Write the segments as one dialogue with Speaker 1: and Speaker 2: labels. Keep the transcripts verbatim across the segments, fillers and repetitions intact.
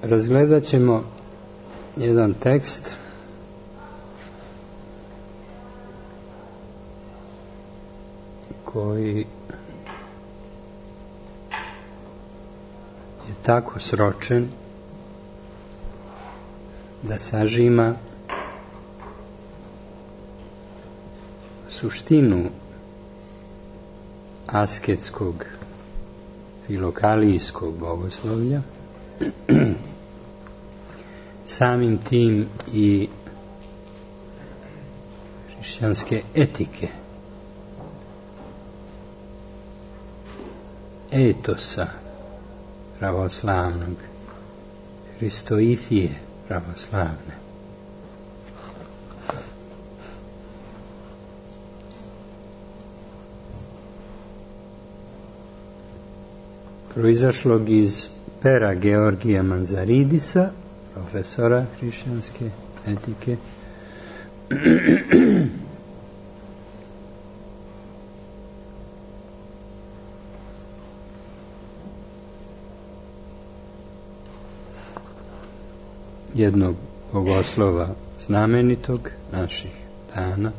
Speaker 1: razgledat ćemo jedan tekst koji je tako sročen da sažima suštinu asketskog filokalijskog bogoslovlja, samim tim i hrišćanske etike, etosa pravoslavnog, hristoithije pravoslavne. Proizašlog iz pera Georgija Manzaridisa, profesora hrišćanske etike, jednog bogoslova znamenitog naših dana,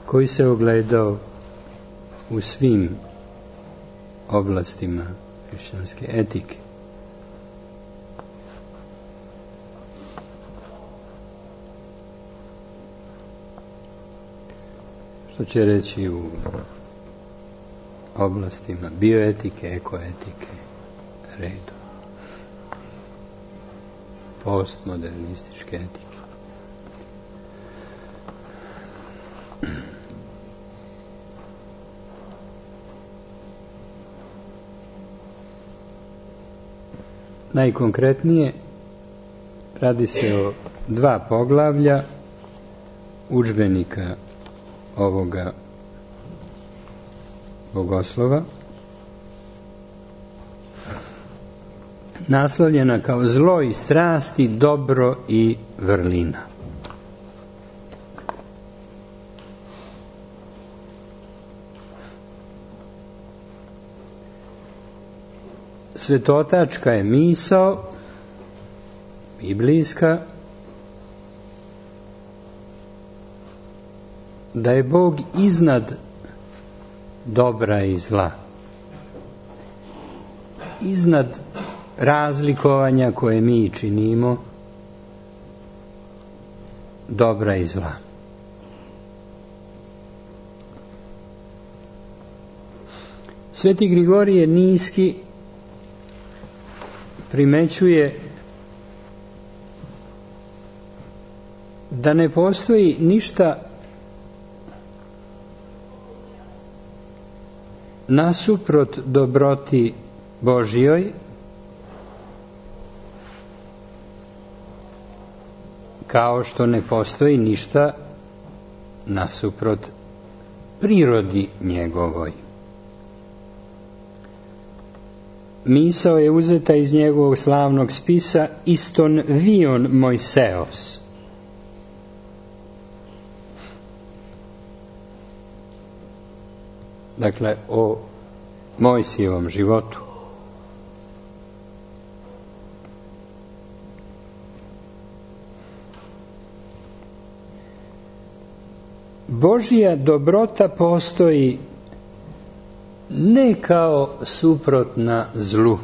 Speaker 1: koji se ogledao u svim oblastima hrišćanske etike. Što će reći u oblastima bioetike, ekoetike, redu, postmodernističke etike. Najkonkretnije, radi se o dva poglavlja udžbenika ovoga bogoslova, naslovljena kao zlo i strasti, dobro i vrlina. Svetotačka je misao, biblijska, da je Bog iznad dobra i zla, iznad razlikovanja koje mi činimo dobra i zla. Sveti Grigorije Niski primećuje da ne postoji ništa nasuprot dobroti Božjoj, kao što ne postoji ništa nasuprot prirodi njegovoj. Misao je uzeta iz njegovog slavnog spisa Iston vion Mojseos. Dakle, o Mojsijevom životu. Božja dobrota postoji ne kao suprotna zlu,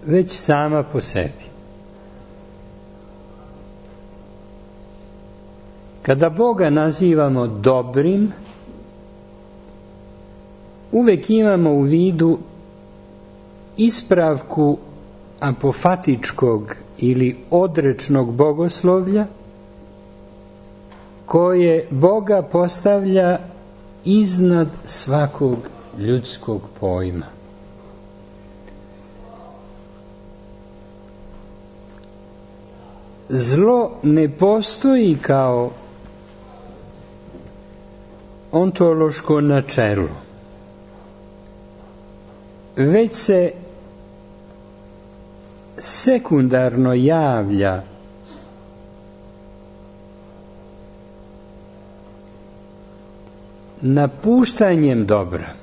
Speaker 1: već sama po sebi. Kada Boga nazivamo dobrim, uvek imamo u vidu ispravku apofatičkog ili odrečnog bogoslovlja, koje Boga postavlja iznad svakog ljudskog pojma. Zlo ne postoji kao ontološko načelo, već se sekundarno javlja napuštanjem dobra.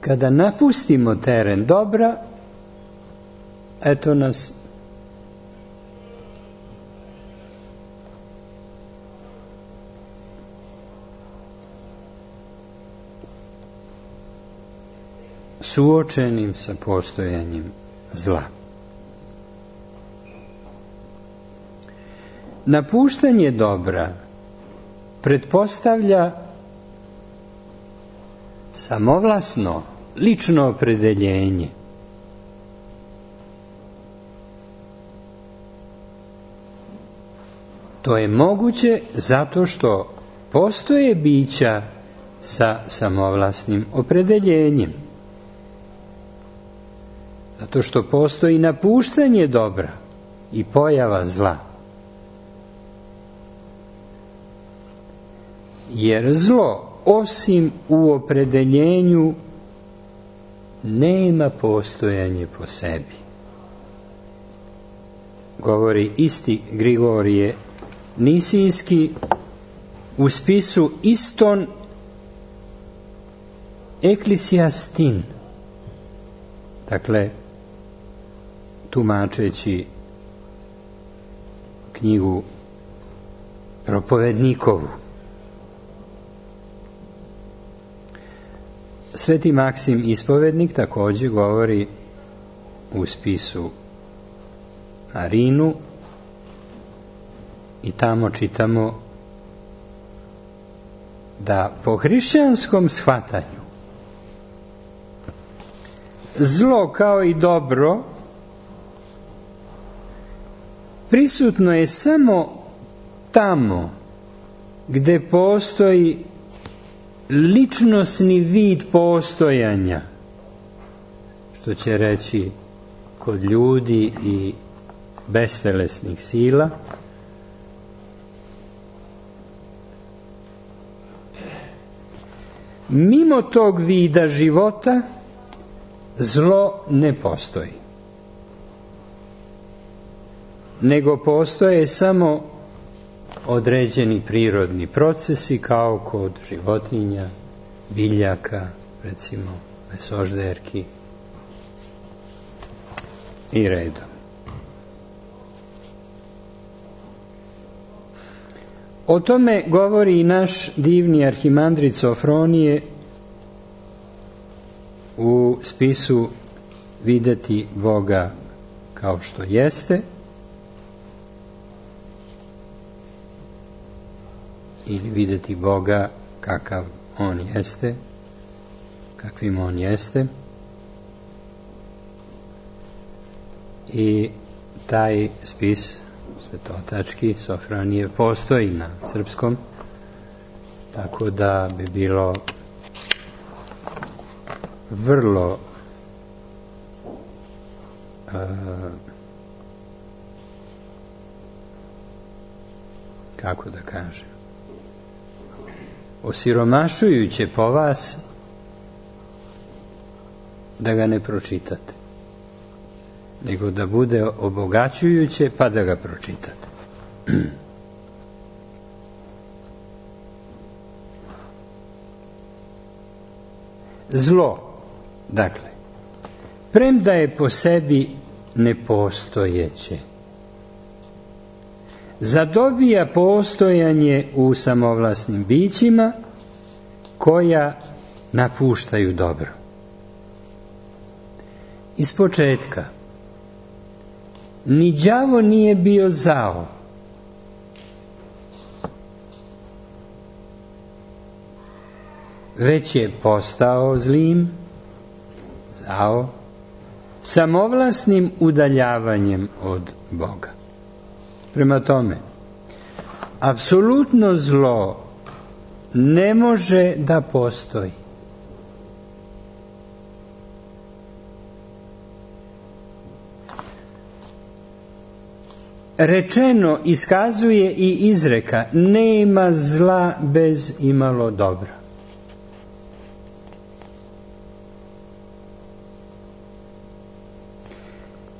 Speaker 1: Kada napustimo teren dobra, eto nas suočenim sa postojanjem zla. Napuštanje dobra pretpostavlja samovlasno, lično opredeljenje. To je moguće zato što postoje bića sa samovlasnim opredeljenjem. Zato što postoji napuštanje dobra i pojava zla. Jer zlo, osim u opredeljenju, nema postojanje po sebi. Govori isti Grigorije Nisijski u spisu Iston Eklisiastin. Dakle, tumačeći knjigu Propovednikovu. Sveti Maksim Ispovednik također govori u spisu Marinu i tamo čitamo da po hrišćanskom shvatanju zlo kao i dobro prisutno je samo tamo gde postoji ličnosni vid postojanja, što će reći kod ljudi i bestelesnih sila, mimo tog vida života zlo ne postoji, nego postoje samo određeni prirodni procesi kao kod životinja, biljaka, recimo mesožderki i redom. O tome govori i naš divni arhimandrit Sofronije u spisu Videti Boga kao što jeste, ili videti Boga kakav on jeste, kakvim on jeste. I taj spis svetotački Sofronije postoji na srpskom, tako da bi bilo vrlo uh, kako da kažem, osiromašujuće po vas da ga ne pročitate, nego da bude obogaćujuće pa da ga pročitate. Zlo, dakle, premda je po sebi nepostojeće, zadobija postojanje u samovlasnim bićima koja napuštaju dobro. Iz početka ni đavo nije bio zao, već je postao zlim, zao, samovlasnim udaljavanjem od Boga. Prema tome, apsolutno zlo ne može da postoji. Rečeno iskazuje i izreka: nema zla bez imalo dobra.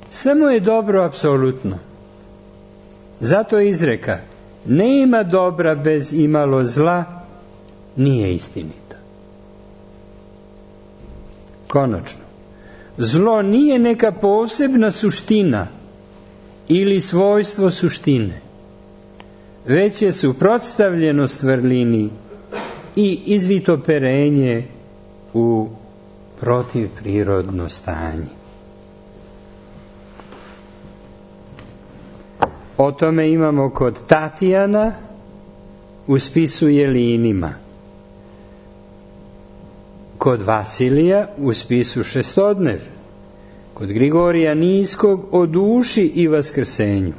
Speaker 1: Samo je dobro apsolutno. Zato je izreka: nema dobra bez imalo zla, nije istinita. Konačno, zlo nije neka posebna suština ili svojstvo suštine, već je suprotstavljenost vrlini i izvitoperenje u protivprirodno stanje. O tome imamo kod Tatijana u spisu Jelinima, kod Vasilija u spisu Šestodnev, kod Grigorija Niskog o duši i vaskrsenju,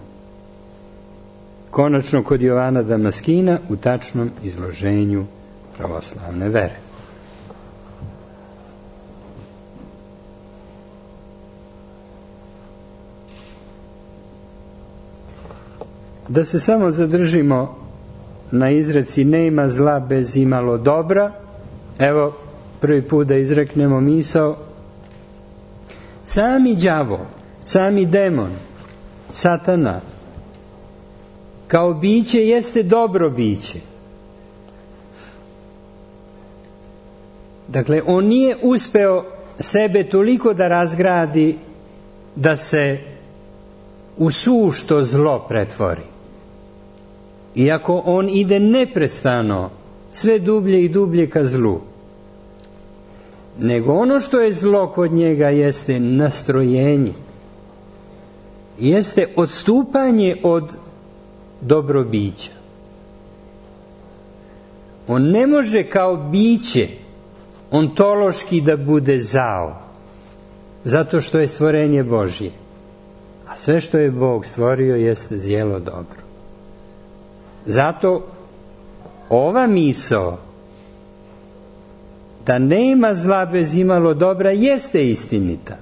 Speaker 1: konačno kod Jovana Damaskina u tačnom izloženju pravoslavne vere. Da se samo zadržimo na izreci nema zla bez imalo dobra. Evo, prvi put da izreknemo misao. Sami đavo, sami demon, satana, kao biće jeste dobro biće. Dakle, on nije uspeo sebe toliko da razgradi da se u sušto zlo pretvori. Iako on ide neprestano sve dublje i dublje ka zlu, nego ono što je zlo kod njega jeste nastrojenje, jeste odstupanje od dobrobića. On ne može kao biće ontološki da bude zao, zato što je stvorenje Božje. A sve što je Bog stvorio jeste zjelo dobro. Zato ova misao da nema zla bez imalo dobra jeste istinita,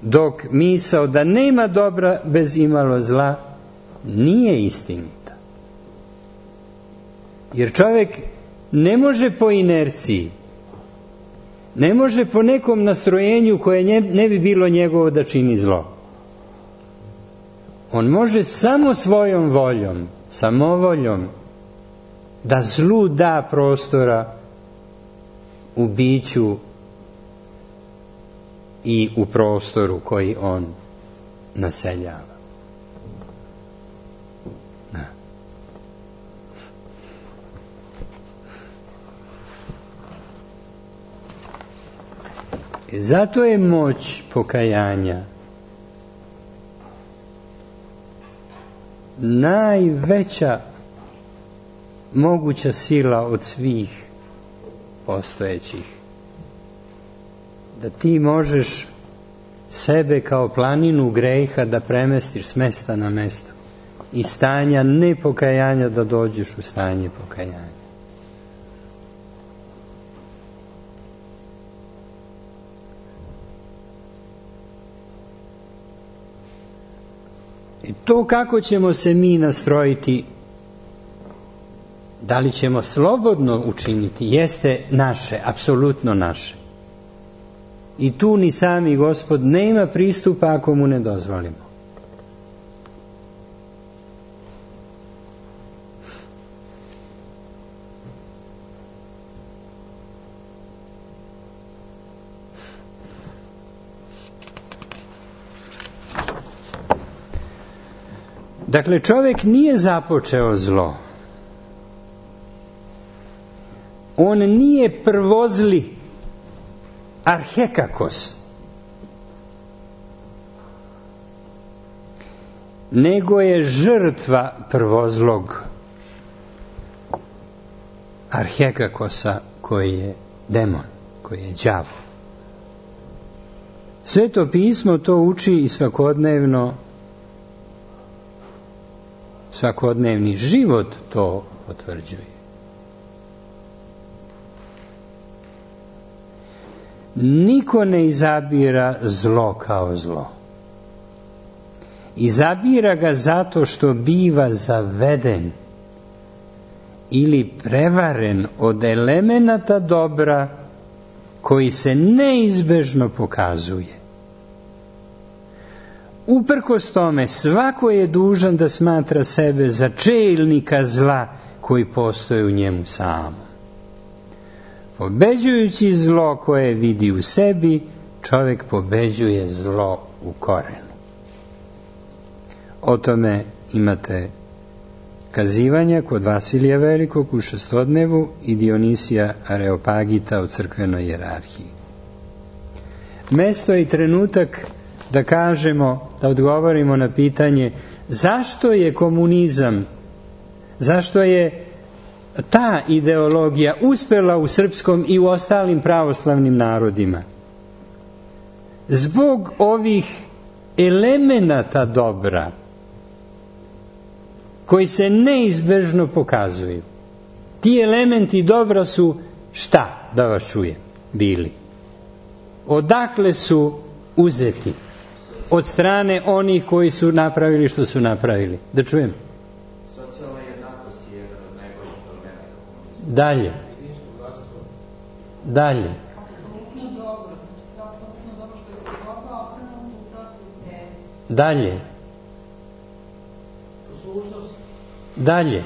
Speaker 1: dok misao da nema dobra bez imalo zla nije istinita. Jer čovjek ne može po inerciji, ne može po nekom nastrojenju koje ne bi bilo njegovo da čini zlo. On može samo svojom voljom, samovoljom, da zlu da prostora u biću i u prostoru koji on naseljava. Da. I zato je moć pokajanja najveća moguća sila od svih postojećih. Da ti možeš sebe kao planinu greha da premestiš s mesta na mesto i stanja nepokajanja da dođeš u stanje pokajanja. I to kako ćemo se mi nastrojiti, da li ćemo slobodno učiniti, jeste naše, apsolutno naše. I tu ni sami Gospod nema pristupa ako mu ne dozvolimo. Dakle, čovjek nije započeo zlo. On nije prvozli arhekakos, nego je žrtva prvozlog arhekakosa koji je demon, koji je đavo. Sveto pismo to uči i svakodnevno, svakodnevni život to potvrđuje. Niko ne izabira zlo kao zlo. Izabira ga zato što biva zaveden ili prevaren od elemenata dobra koji se neizbežno pokazuje. uprkos tome, svako je dužan da smatra sebe za čelnika zla koji postoje u njemu samom. Pobeđujući zlo koje vidi u sebi, čovjek pobeđuje zlo u korenu. O tome imate kazivanja kod Vasilija Velikog u Šestodnevu i Dionisija Areopagita u crkvenoj hijerarhiji. Mesto i trenutak da kažemo, da odgovorimo na pitanje zašto je komunizam, zašto je ta ideologija uspela u srpskom i u ostalim pravoslavnim narodima. Zbog ovih elemenata dobra koji se neizbežno pokazuju. Ti elementi dobra su šta, da vas čujem, bili? Odakle su uzeti? Od strane onih koji su napravili što su napravili. Da čujem.
Speaker 2: Socijalna jednakost je jedan od najboljih elemenata.
Speaker 1: Dalje. Dalje. Dalje. Dalje.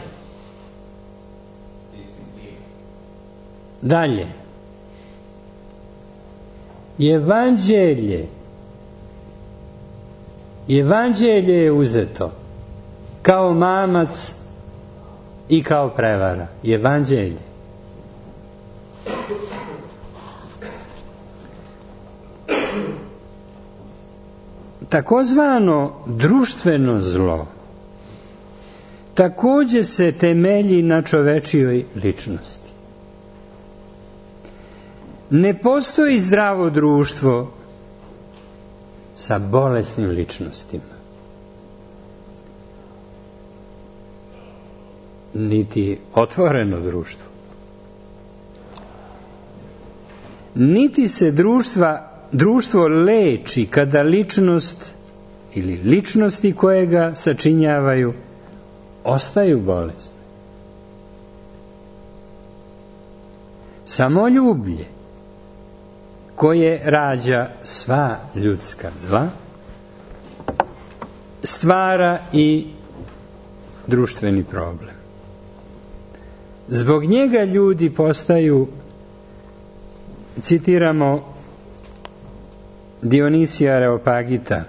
Speaker 1: Dalje. Evanđelje. Evanđelje je uzeto kao mamac i kao prevara. Evanđelje. Takozvano društveno zlo također se temelji na čovečijoj ličnosti. Ne postoji zdravo društvo sa bolesnim ličnostima. Niti otvoreno društvo. Niti se društva, društvo leči kada ličnost ili ličnosti koje ga sačinjavaju ostaju bolesne. Samoljublje koje rađa sva ljudska zla stvara i društveni problem. Zbog njega ljudi postaju, citiramo Dionisija Areopagita,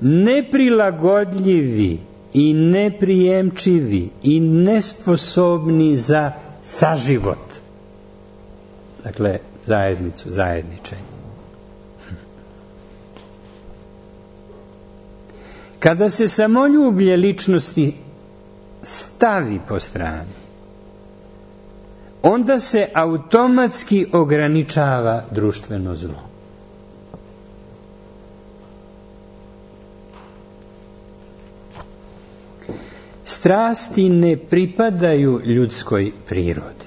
Speaker 1: neprilagodljivi i neprijemčivi i nesposobni za saživot. Dakle, zajednicu, zajedničenje. Kada se samoljublje ličnosti stavi po strani, onda se automatski ograničava društveno zlo. Strasti ne pripadaju ljudskoj prirodi,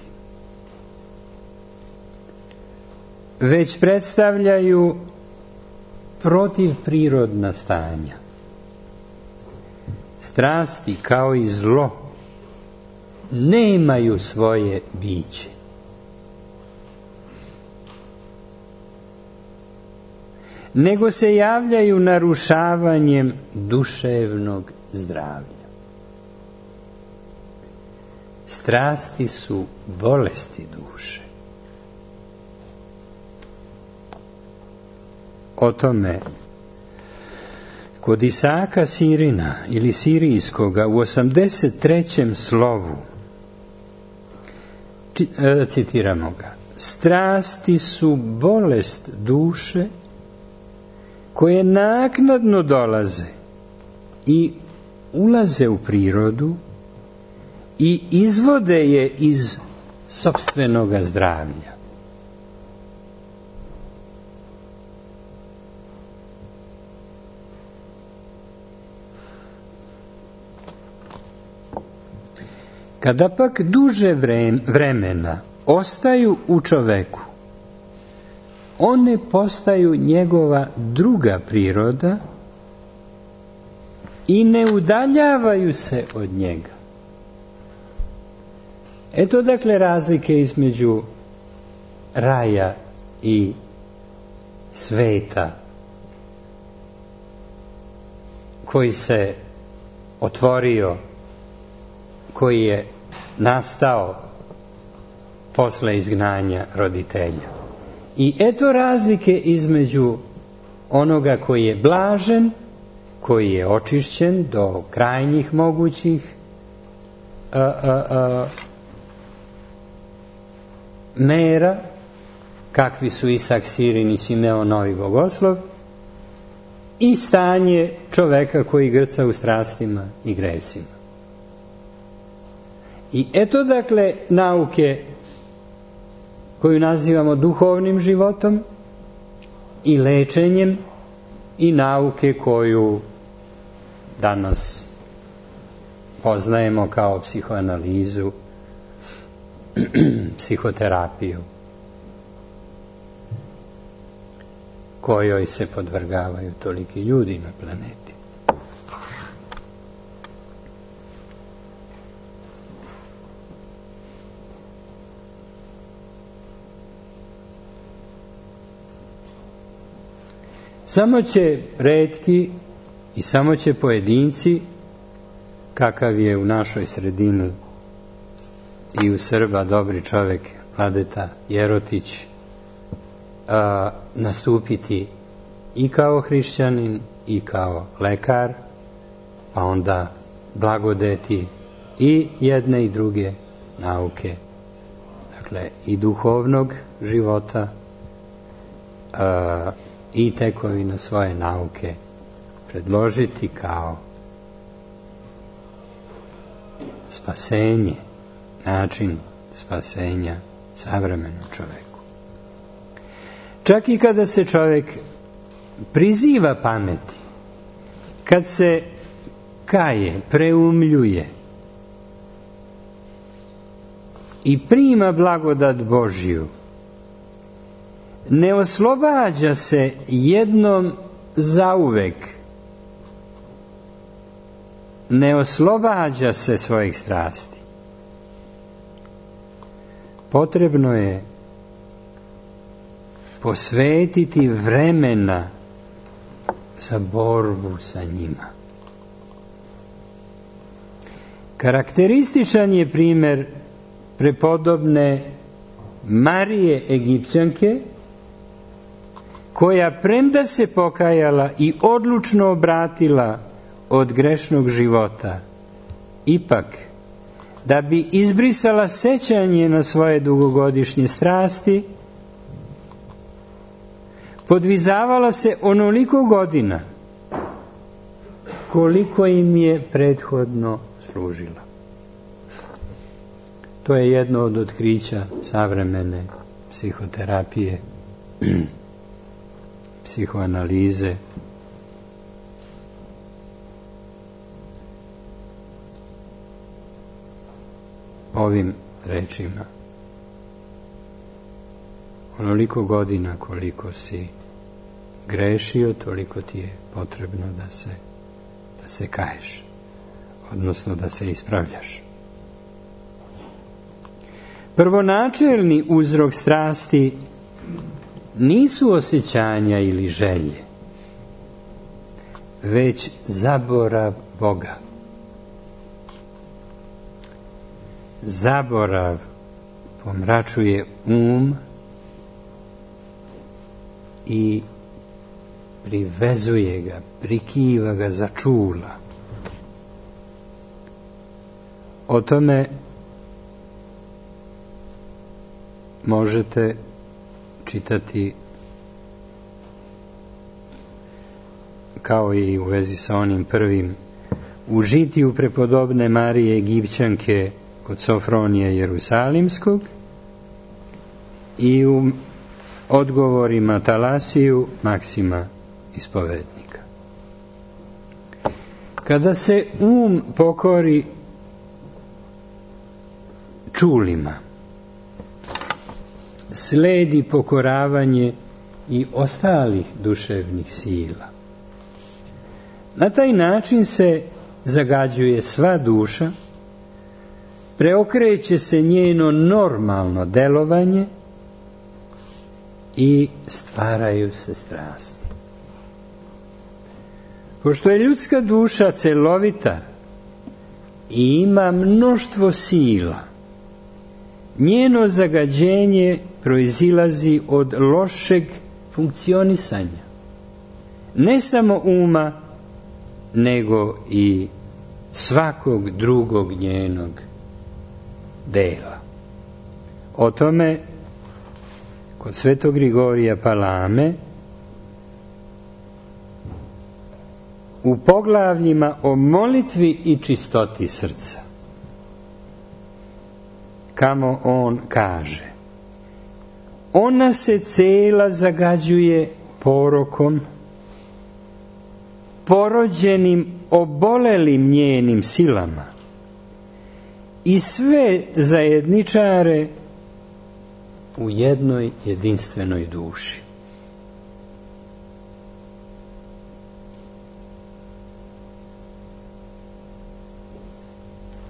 Speaker 1: već predstavljaju protivprirodna stanja. Strasti, kao i zlo, nemaju svoje biće. Nego se javljaju narušavanjem duševnog zdravlja. Strasti su bolesti duše. O tome kod Isaka Sirina ili Sirijskoga u osamdeset trećem slovu citiramo ga: strasti su bolest duše koje naknadno dolaze i ulaze u prirodu i izvode je iz sopstvenoga zdravlja. Kada pak duže vremena ostaju u čoveku, one postaju njegova druga priroda i ne udaljavaju se od njega. Eto dakle razlike između raja i sveta koji se otvorio, koji je nastao posle izgnanja roditelja. I eto razlike između onoga koji je blažen, koji je očišćen do krajnjih mogućih a, a, a, mera, kakvi su Isak Sirin i Simeon Novi Bogoslov, i stanje čoveka koji grca u strastima i gresima. I eto dakle nauke koju nazivamo duhovnim životom i lečenjem, i nauke koju danas poznajemo kao psihoanalizu, psihoterapiju, kojoj se podvrgavaju toliki ljudi na planeti. Samo će retki i samo će pojedinci, kakav je u našoj sredini i u Srba dobri čovek Vladeta Jerotić, a, nastupiti i kao hrišćanin i kao lekar, pa onda blagodeti i jedne i druge nauke, dakle i duhovnog života, a, i tekovina svoje nauke predložiti kao spasenje, način spasenja savremenom čoveku. Čak i kada se čovek priziva pameti, kad se kaje, preumljuje i prima blagodat Božju, ne oslobađa se jednom zauvek, ne oslobađa se svojih strasti. Potrebno je posvetiti vremena za borbu sa njima. Karakterističan je primjer prepodobne Marije Egipćanke, koja premda se pokajala i odlučno obratila od grešnog života, ipak, da bi izbrisala sećanje na svoje dugogodišnje strasti, podvizavala se onoliko godina koliko im je prethodno služila. To je jedno od otkrića savremene psihoterapije, psihoanalize. Ovim rečima: onoliko godina koliko si grešio, toliko ti je potrebno da se, da se kaješ, odnosno da se ispravljaš. Prvonačelni uzrok strasti nisu osjećanja ili želje, već zaborav Boga. Zaborav pomračuje um i privezuje ga, prikiva ga za čula. O tome možete čitati, kao i u vezi sa onim prvim, u žitiju prepodobne Marije Egipćanke kod Sofronija Jerusalimskog i u odgovorima Talasiju Maksima Ispovednika. Kada se um pokori čulima, sledi pokoravanje i ostalih duševnih sila. Na taj način se zagađuje sva duša, preokreće se njeno normalno delovanje i stvaraju se strasti. Pošto je ljudska duša celovita i ima mnoštvo sila, njeno zagađenje proizilazi od lošeg funkcionisanja. Ne samo uma, nego i svakog drugog njenog dela. O tome kod svetog Grigorija Palame u poglavljima o molitvi i čistoti srca, kamo on kaže: ona se cela zagađuje porokom, porođenim obolelim njenim silama, i sve zajedničare u jednoj jedinstvenoj duši.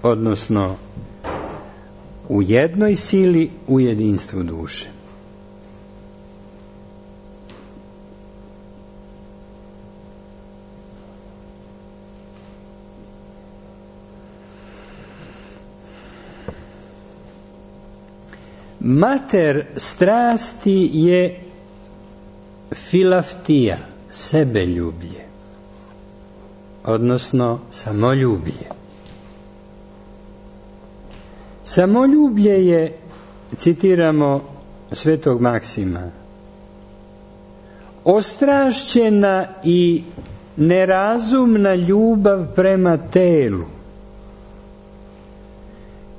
Speaker 1: Odnosno, u jednoj sili u jedinstvu duše. Mater strasti je filaftija, sebeljublje, odnosno samoljublje. Samoljublje je, citiramo svetog Maksima, ostrašćena i nerazumna ljubav prema telu,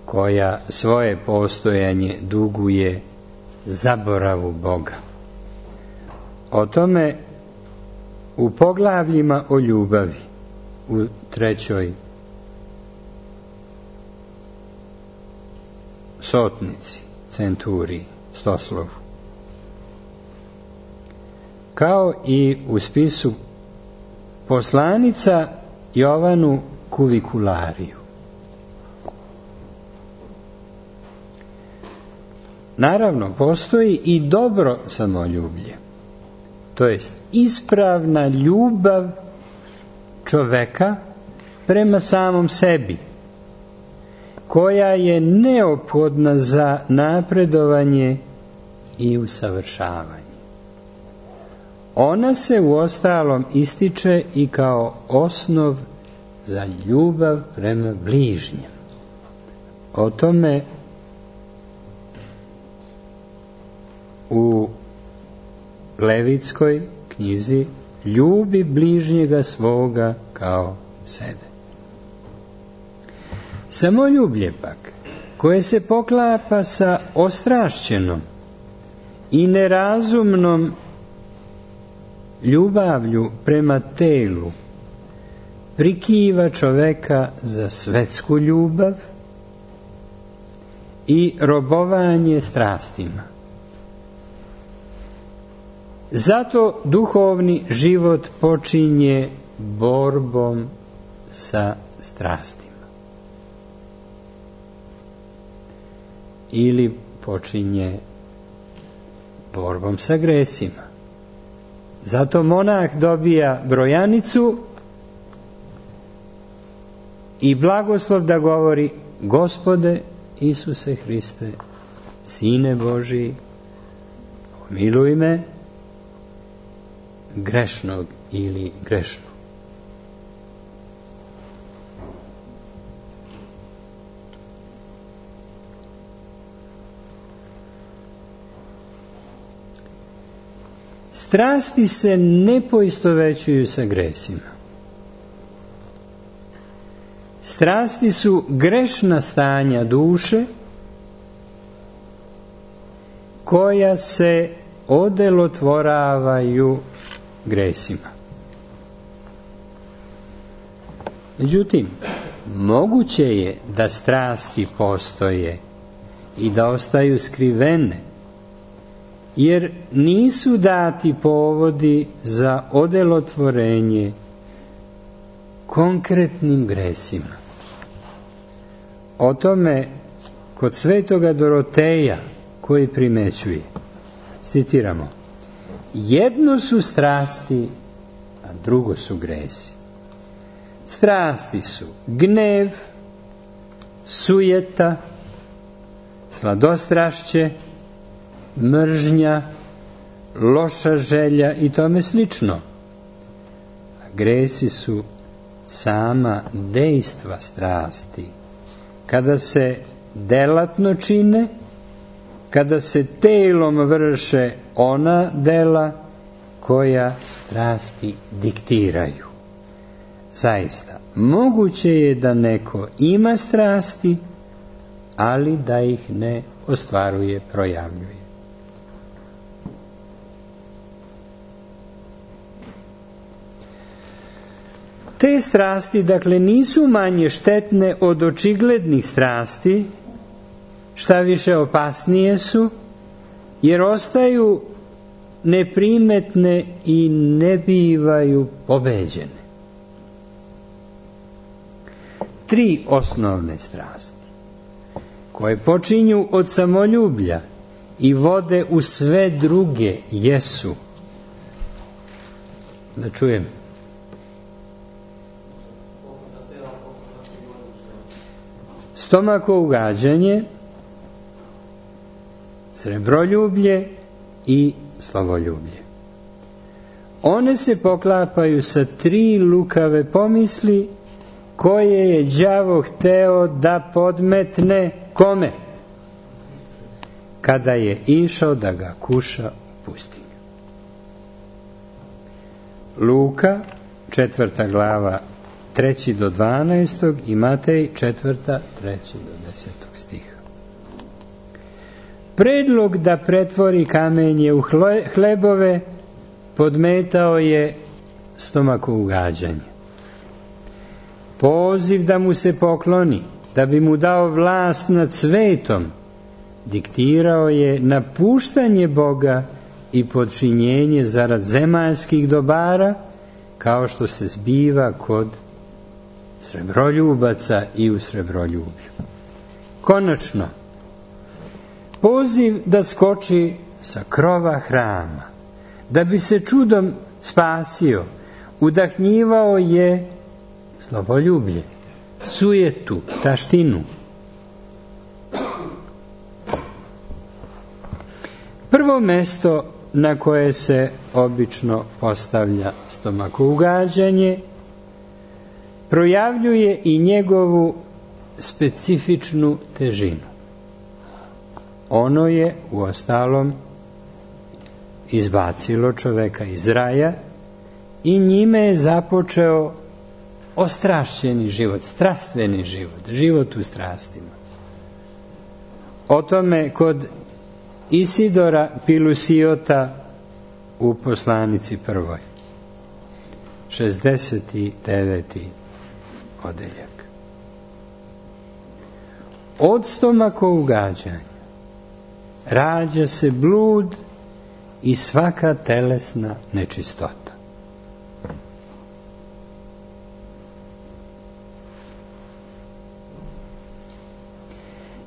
Speaker 1: koja svoje postojanje duguje zaboravu Boga. O tome u poglavljima o ljubavi u trećoj sotnici, centuriji, stoslovu, kao i u spisu poslanica Jovanu Kuviculariju. Naravno, postoji i dobro samoljublje, to jest ispravna ljubav čoveka prema samom sebi, koja je neophodna za napredovanje i usavršavanje. Ona se uostalom ističe i kao osnov za ljubav prema bližnjem. O tome u Levitskoj knjizi ljubi bližnjega svoga kao sebe. Samoljublje pak, koje se poklapa sa ostrašćenom i nerazumnom ljubavlju prema telu, prikiva čoveka za svetsku ljubav i robovanje strastima. Zato duhovni život počinje borbom sa strastima. Ili počinje borbom sa gresima. Zato monah dobija brojanicu i blagoslov da govori: Gospode Isuse Hriste, Sine Božiji, pomiluj me, grešnog ili grešnu. Strasti se ne poistovećuju sa gresima. Strasti su grešna stanja duše koja se odelotvoravaju gresima. Međutim, moguće je da strasti postoje i da ostaju skrivene, jer nisu dati povodi za odelotvorenje konkretnim gresima. O tome kod svetoga Doroteja, koji primećuje, citiramo: jedno su strasti, a drugo su gresi. Strasti su gnev, sujeta, sladostrašće, mržnja, loša želja i tome slično. A gresi su sama dejstva strasti. Kada se delatno čine, kada se telom vrše ona dela koja strasti diktiraju. Zaista, moguće je da neko ima strasti, ali da ih ne ostvaruje, projavljuje. Te strasti, dakle, nisu manje štetne od očiglednih strasti, šta više opasnije su, jer ostaju neprimetne i ne bivaju pobeđene. Tri osnovne strasti, koje počinju od samoljublja i vode u sve druge, jesu, da čujem, stomako ugađanje, srebroljublje i slavoljublje. One se poklapaju sa tri lukave pomisli koje je đavo hteo da podmetne kome? Kada je išao da ga kuša u pustinju. Luka, četvrta glava, treći do dvanaestog i Matej, četvrta, treći do desetog stiha. Predlog da pretvori kamenje u hlebove podmetao je stomako ugađanje. Poziv da mu se pokloni, da bi mu dao vlast nad svetom, diktirao je napuštanje Boga i podčinjenje zarad zemaljskih dobara, kao što se zbiva kod srebroljubaca i u srebroljublju. Konačno, poziv da skoči sa krova hrama, da bi se čudom spasio, udahnjivao je slavoljublje, sujetu, taštinu. Prvo mesto na koje se obično postavlja stomako ugađanje projavljuje i njegovu specifičnu težinu. Ono je uostalom izbacilo čoveka iz raja i njime je započeo ostrašćeni život, strastveni život, život u strastima. O tome kod Isidora Pilusiota u poslanici prvoj, šezdeset deveti odeljak. Od stomako ugađanja rađa se blud i svaka telesna nečistota.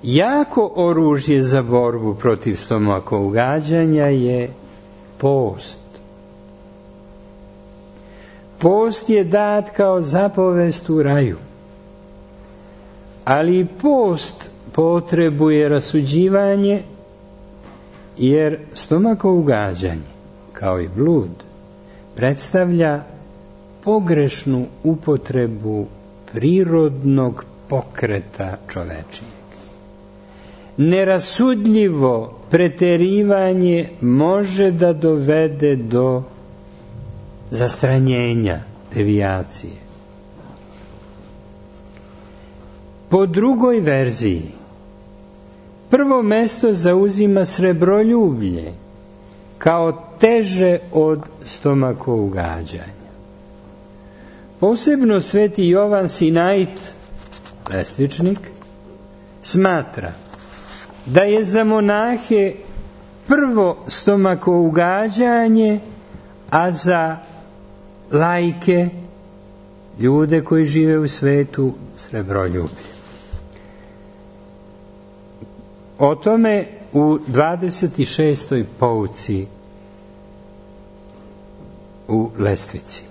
Speaker 1: Jako oružje za borbu protiv stomako ugađanja je post. Post je dat kao zapovest u raju, ali i post potrebuje rasuđivanje, jer stomako ugađanje, kao i blud, predstavlja pogrešnu upotrebu prirodnog pokreta čovečijeg. Nerasudljivo preterivanje može da dovede do zastranjenja, devijacije. Po drugoj verziji, prvo mesto zauzima srebroljublje, kao teže od stomako ugađanja. Posebno sveti Jovan Sinait, lestvičnik, smatra da je za monahe prvo stomako ugađanje, a za laike, ljude koji žive u svetu, srebroljublje. O tome u dvadeset šestoj pouci u lestvici.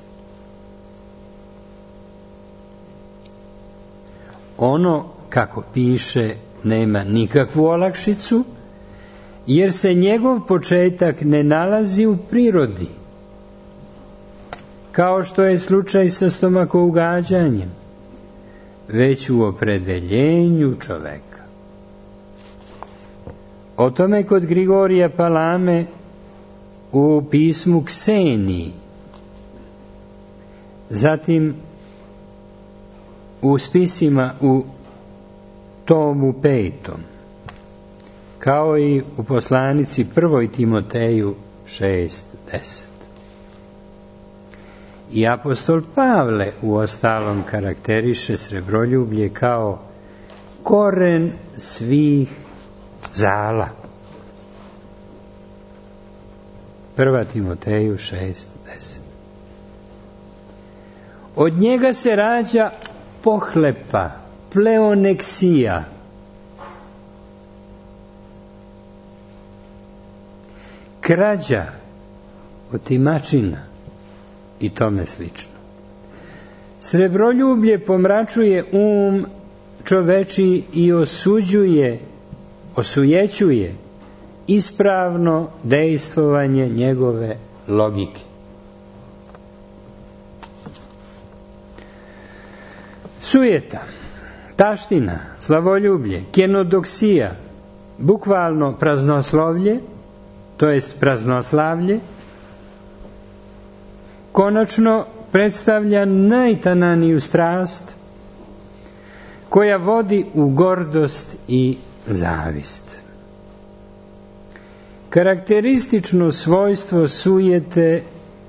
Speaker 1: ono, kako piše, nema nikakvu olakšicu, jer se njegov početak ne nalazi u prirodi, kao što je slučaj sa stomakougađanjem, već u opredeljenju čoveka. O tome kod Grigorija Palame u pismu Kseniji, zatim u spisima u tomu petom, kao i u poslanici prvoj Timoteju šest deset. I apostol Pavle u ostalom karakteriše srebroljublje kao koren svih zala. Prva Timoteju šest deset. Od njega se rađa pohlepa, pleoneksija, krađa, otimačina i tome slično. Srebroljublje pomračuje um čoveči i osuđuje, osujećuje ispravno dejstvovanje njegove logike. Sujeta, taština, slavoljublje, kenodoksija, bukvalno praznoslovlje, to jest praznoslavlje, konačno predstavlja najtananiju strast koja vodi u gordost i zavist. Karakteristično svojstvo sujete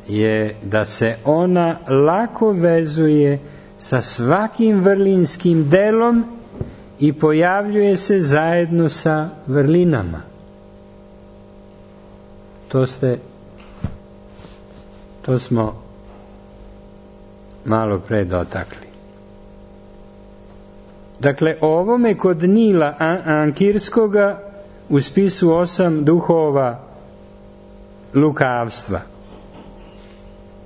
Speaker 1: je da se ona lako vezuje sa svakim vrlinskim delom i pojavljuje se zajedno sa vrlinama. To ste, to smo malo pre dotakli. Dakle, o ovome kod Nila Ankirskoga u spisu osam duhova lukavstva.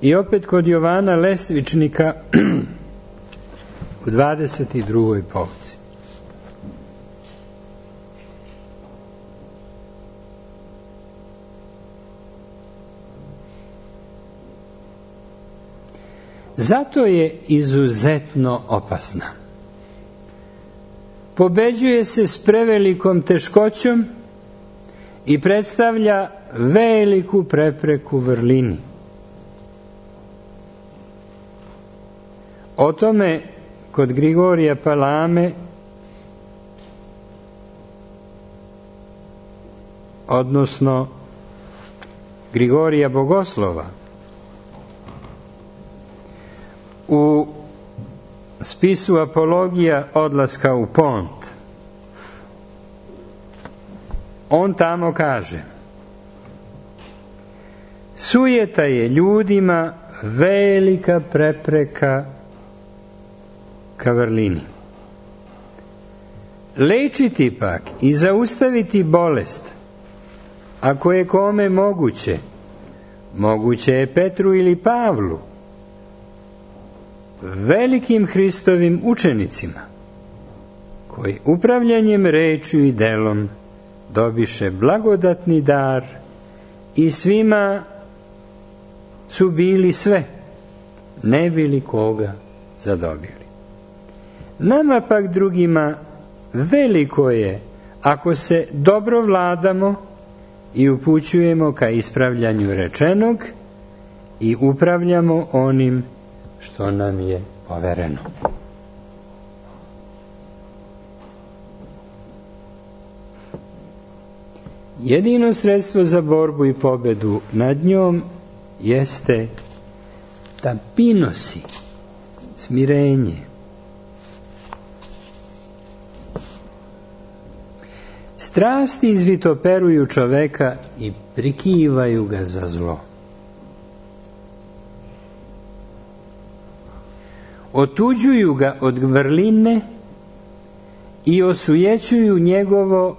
Speaker 1: I opet kod Jovana Lestvičnika u dvadeset drugoj povci. Zato je izuzetno opasna. Pobeđuje se s prevelikom teškoćom i predstavlja veliku prepreku vrlini. O tome kod Grigorija Palame, odnosno Grigorija Bogoslova, u spisu Apologija odlaska u Pont, on tamo kaže: sujeta je ljudima velika prepreka ka vrlini. Lečiti pak i zaustaviti bolest, ako je kome moguće, moguće je Petru ili Pavlu, velikim Hristovim učenicima, koji upravljanjem rečju i delom dobiše blagodatni dar i svima su bili sve, ne bili koga zadobili. Nama pak drugima veliko je ako se dobro vladamo i upućujemo ka ispravljanju rečenog i upravljamo onim što nam je povereno. Jedino sredstvo za borbu i pobedu nad njom jeste tapinosi, smirenje. Strasti izvitoperuju čoveka i prikivaju ga za zlo. Otuđuju ga od vrline i osujećuju njegovo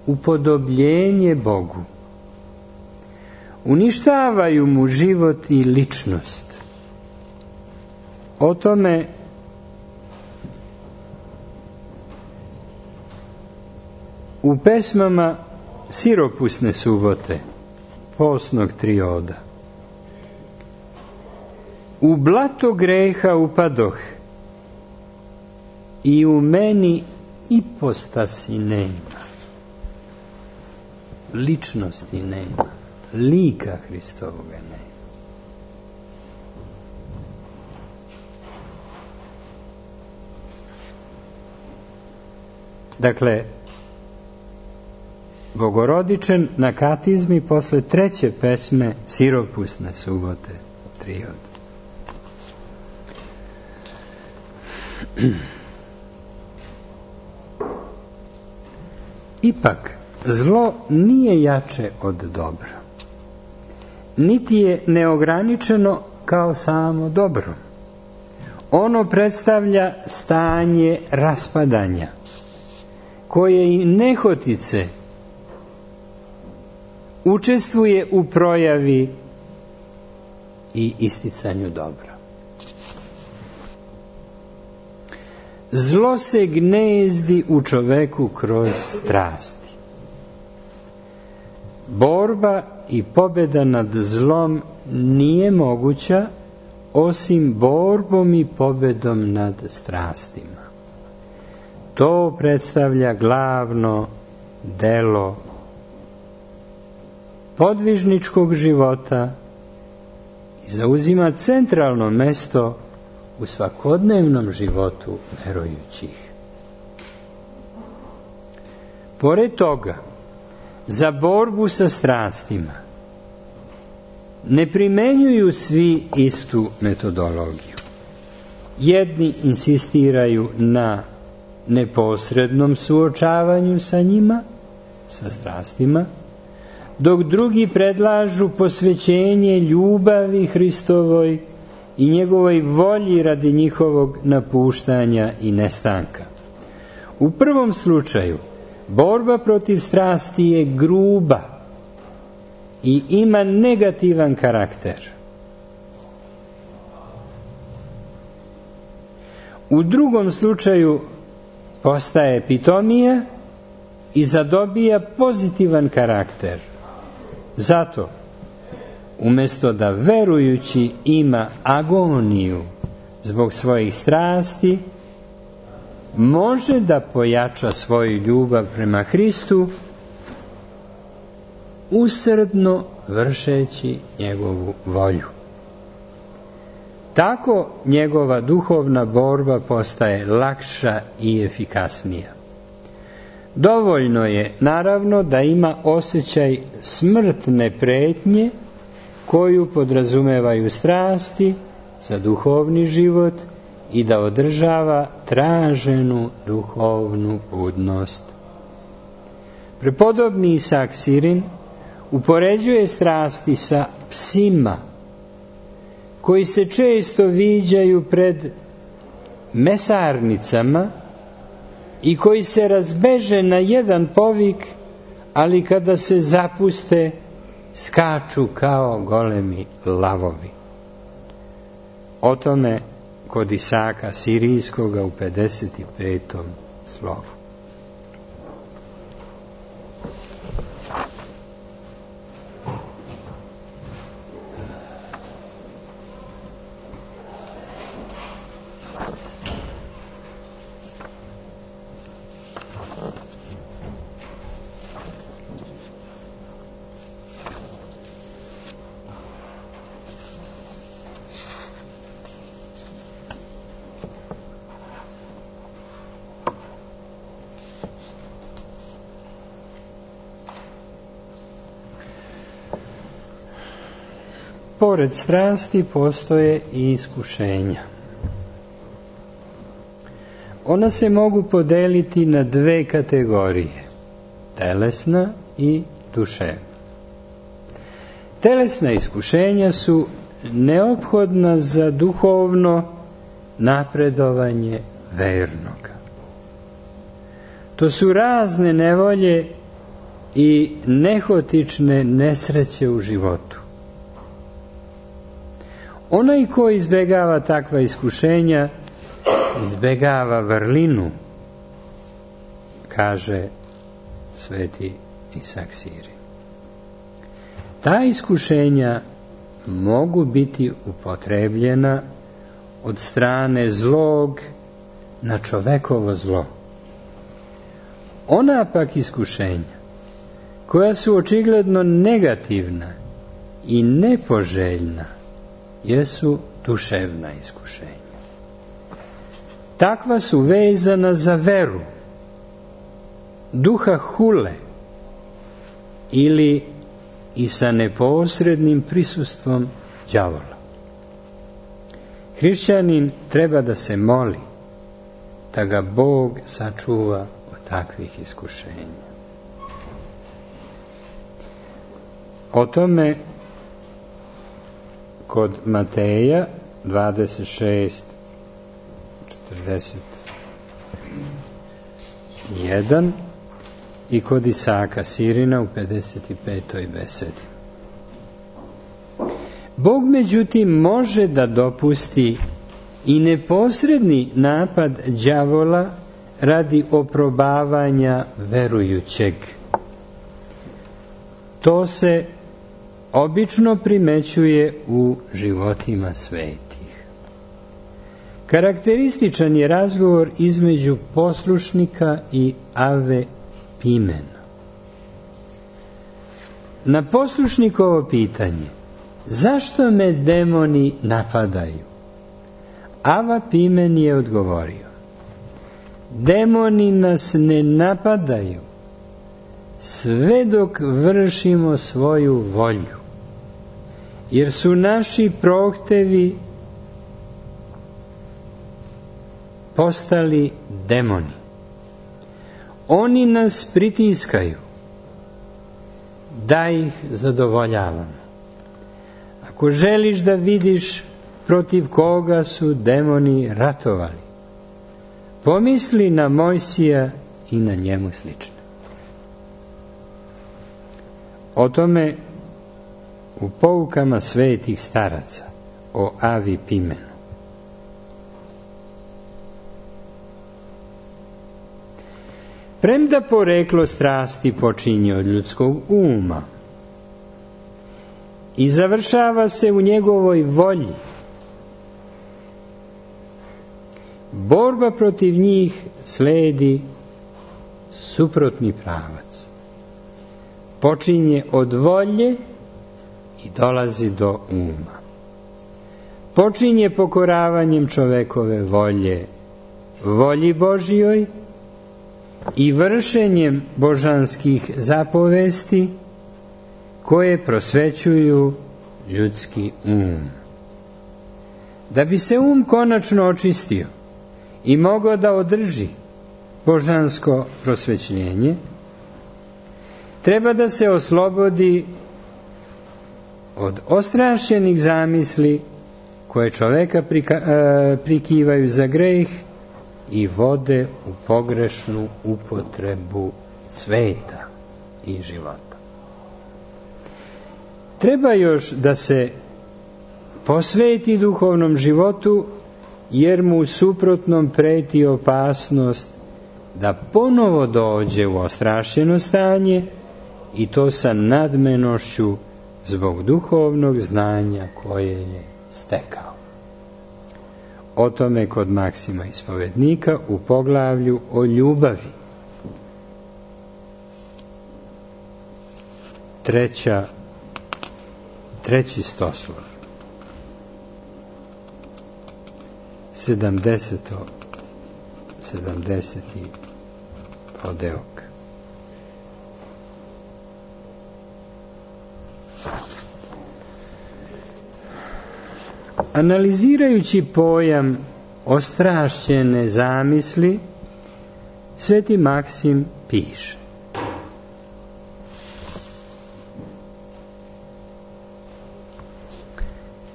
Speaker 1: upodobljenje Bogu. Uništavaju mu život i ličnost. O tome u pesmama Siropusne subote, postnog trioda. U blato greha upadoh i u meni ipostasi nema. Ličnosti nema. Lika Hristovoga nema. Dakle, Bogorodičen na katizmi posle treće pesme Siropusne subote, triod. Ipak, zlo nije jače od dobra, niti je neograničeno kao samo dobro. Ono predstavlja stanje raspadanja, koje i nehotice učestvuje u projavi i isticanju dobra. Zlo se gnezdi u čoveku kroz strasti. Borba i pobjeda nad zlom nije moguća osim borbom i pobjedom nad strastima. To predstavlja glavno delo podvižničkog života i zauzima centralno mesto u svakodnevnom životu verujućih. Pored toga, za borbu sa strastima ne primenjuju svi istu metodologiju. Jedni insistiraju na neposrednom suočavanju sa njima, sa strastima, dok drugi predlažu posvećenje ljubavi Hristovoj i njegovoj volji radi njihovog napuštanja i nestanka. U prvom slučaju, borba protiv strasti je gruba i ima negativan karakter. U drugom slučaju postaje pitomija i zadobija pozitivan karakter. Zato, umjesto da verujući ima agoniju zbog svojih strasti, može da pojača svoju ljubav prema Hristu, usrdno vršeći njegovu volju. Tako njegova duhovna borba postaje lakša i efikasnija. Dovoljno je, naravno, da ima osjećaj smrtne pretnje koju podrazumevaju strasti za duhovni život i da održava traženu duhovnu budnost. Prepodobni Isak Sirin upoređuje strasti sa psima koji se često viđaju pred mesarnicama i koji se razbeže na jedan povik, ali kada se zapuste, skaču kao golemi lavovi. O tome kod Isaka Sirijskoga u pedeset petom slovu. Pored strasti postoje i iskušenja. Ona se mogu podeliti na dve kategorije, telesna i duševna. Telesna iskušenja su neophodna za duhovno napredovanje vernoga. To su razne nevolje i nehotične nesreće u životu. Onaj ko izbegava takva iskušenja, izbegava vrlinu, kaže sveti Isak Sirin. Ta iskušenja mogu biti upotrebljena od strane zlog na čovekovo zlo. Ona pak iskušenja koja su očigledno negativna i nepoželjna jesu duševna iskušenja. Takva su vezana za veru, duha hule ili i sa neposrednim prisustvom đavola. Hrišćanin treba da se moli da ga Bog sačuva od takvih iskušenja. O tome kod Mateja dvadeset šest četrdeset jedan i kod Isaka Sirina u pedeset petoj besedi. Bog međutim može da dopusti i neposredni napad đavola radi oprobavanja verujućeg. To se obično primećuje u životima svetih. Karakterističan je razgovor između poslušnika i Ave Pimena. Na poslušnikovo pitanje zašto me demoni napadaju, Ava Pimen je odgovorio: demoni nas ne napadaju sve dok vršimo svoju volju, jer su naši prohtevi postali demoni. Oni nas pritiskaju da ih zadovoljavamo. Ako želiš da vidiš protiv koga su demoni ratovali, pomisli na Mojsija i na njemu slične. O tome u poukama svetih staraca o Avi Pimenu. Premda poreklo strasti počinje od ljudskog uma i završava se u njegovoj volji, borba protiv njih sledi suprotni pravac. Počinje od volje i dolazi do uma. Počinje pokoravanjem čovekove volje volji Božjoj i vršenjem božanskih zapovesti koje prosvećuju ljudski um. Da bi se um konačno očistio i mogao da održi božansko prosvećenje, treba da se oslobodi od ostrašćenih zamisli koje čoveka prika, e, prikivaju za greh i vode u pogrešnu upotrebu sveta i života. Treba još da se posveti duhovnom životu, jer mu u suprotnom preti opasnost da ponovo dođe u ostrašćeno stanje, i to sa nadmenošću zbog duhovnog znanja koje je stekao. O tome kod Maksima ispovednika u poglavlju o ljubavi. Treća, treći stoslov. Sedamdeseto, sedamdeseti odeok. Analizirajući pojam ostrašćene zamisli, sveti Maksim piše: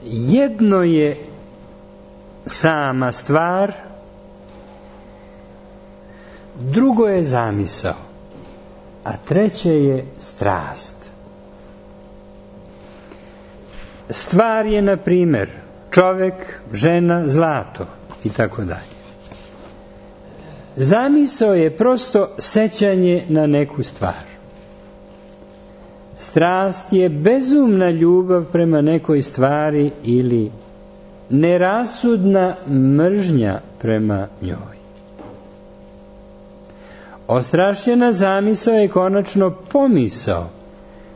Speaker 1: jedno je sama stvar, drugo je zamisao, a treće je strast. Stvar je, na primjer, čovek, žena, zlato i tako dalje. Zamisao je prosto sećanje na neku stvar. Strast je bezumna ljubav prema nekoj stvari ili nerasudna mržnja prema njoj. Ostrašćena zamisao je konačno pomisao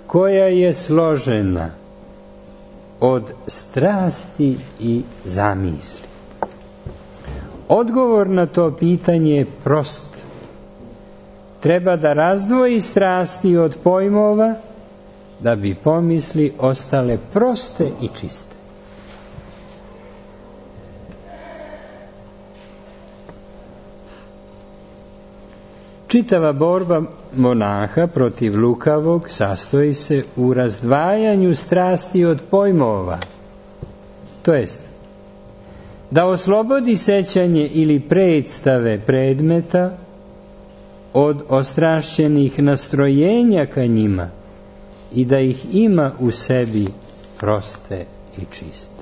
Speaker 1: koja je složena od strasti i zamisli. Odgovor na to pitanje je prost. Treba da razdvoji strasti od pojmova da bi pomisli ostale proste i čiste. Čitava borba monaha protiv lukavog sastoji se u razdvajanju strasti od pojmova. To jest, da oslobodi sećanje ili predstave predmeta od ostrašćenih nastrojenja ka njima i da ih ima u sebi proste i čiste.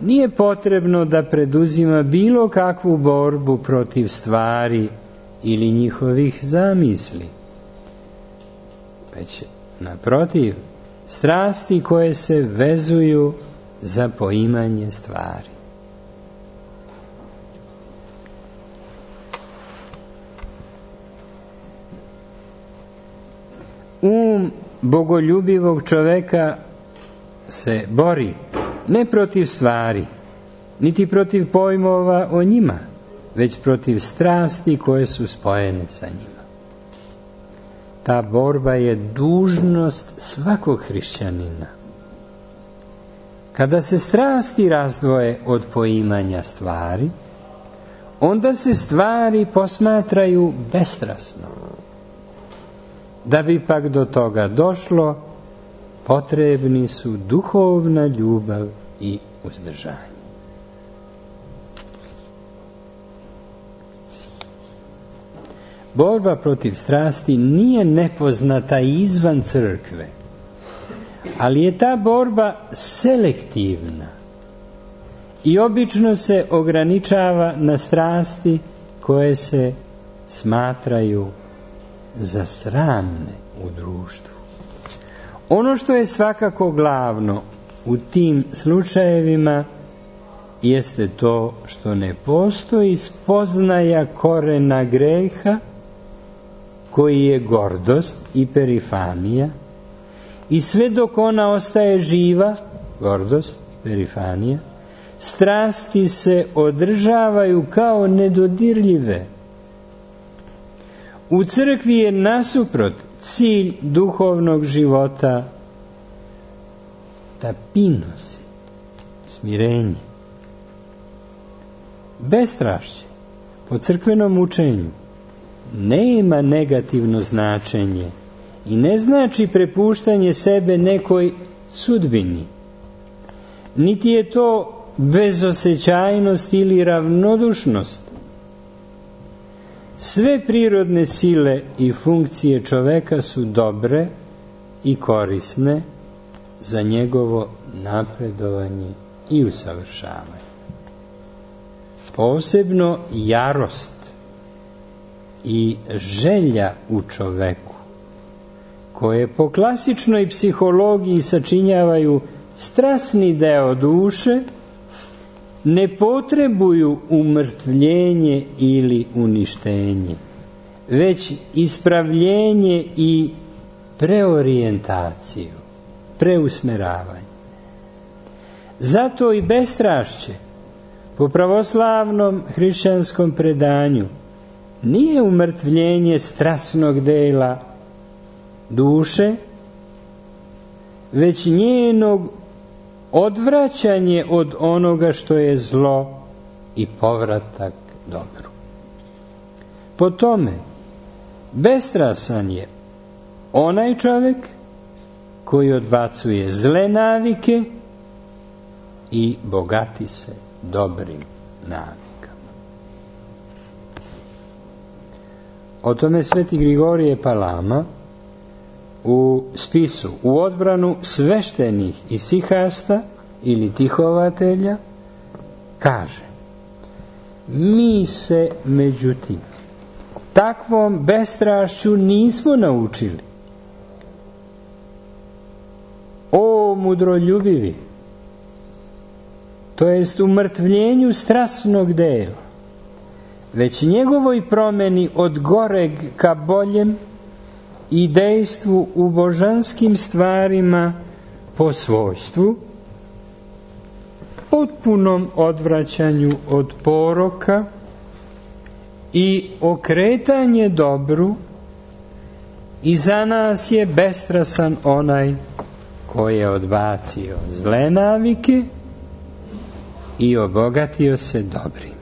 Speaker 1: Nije potrebno da preduzima bilo kakvu borbu protiv stvari ili njihovih zamisli, već naprotiv, strasti koje se vezuju za poimanje stvari. Um bogoljubivog čoveka se bori ne protiv stvari, niti protiv pojmova o njima, već protiv strasti koje su spojene sa njima. Ta borba je dužnost svakog hrišćanina. Kada se strasti razdvoje od poimanja stvari, onda se stvari posmatraju bestrasno. Da bi pak do toga došlo, potrebni su duhovna ljubav i uzdržanje. Borba protiv strasti nije nepoznata izvan crkve, ali je ta borba selektivna i obično se ograničava na strasti koje se smatraju za sramne u društvu. Ono što je svakako glavno u tim slučajevima jeste to što ne postoji spoznaja korena greha koji je gordost i perifanija, i sve dok ona ostaje živa, gordost i perifanija, strasti se održavaju kao nedodirljive. U crkvi je nasuprot cilj duhovnog života tapinos, smirenje. Bestrašće po crkvenom učenju nema negativno značenje i ne znači prepuštanje sebe nekoj sudbini. Niti je to bezosećajnost ili ravnodušnost. Sve prirodne sile i funkcije čoveka su dobre i korisne za njegovo napredovanje i usavršavanje. Posebno jarost i želja u čoveku, koje po klasičnoj psihologiji sačinjavaju strasni deo duše, ne potrebuju umrtvljenje ili uništenje, već ispravljenje i preorijentaciju, preusmeravanje. Zato i bestrašće po pravoslavnom hrišćanskom predanju nije umrtvljenje strasnog dela duše, već njenog odvraćanje od onoga što je zlo i povratak dobru. Po tome, bestrasan je onaj čovjek koji odbacuje zle navike i bogati se dobrim navikama. O tome sveti Grigorije Palama u spisu U odbranu sveštenih isihasta ili tihovatelja kaže: Mi se, međutim, takvom bestrašću nismo naučili. O mudroljubivi, to jest umrtvljenju strasnog dela, već njegovoj promeni od goreg ka boljem i dejstvu u božanskim stvarima po svojstvu, potpunom odvraćanju od poroka i okretanje dobru, i za nas je bestrasan onaj koji je odbacio zle navike i obogatio se dobrim.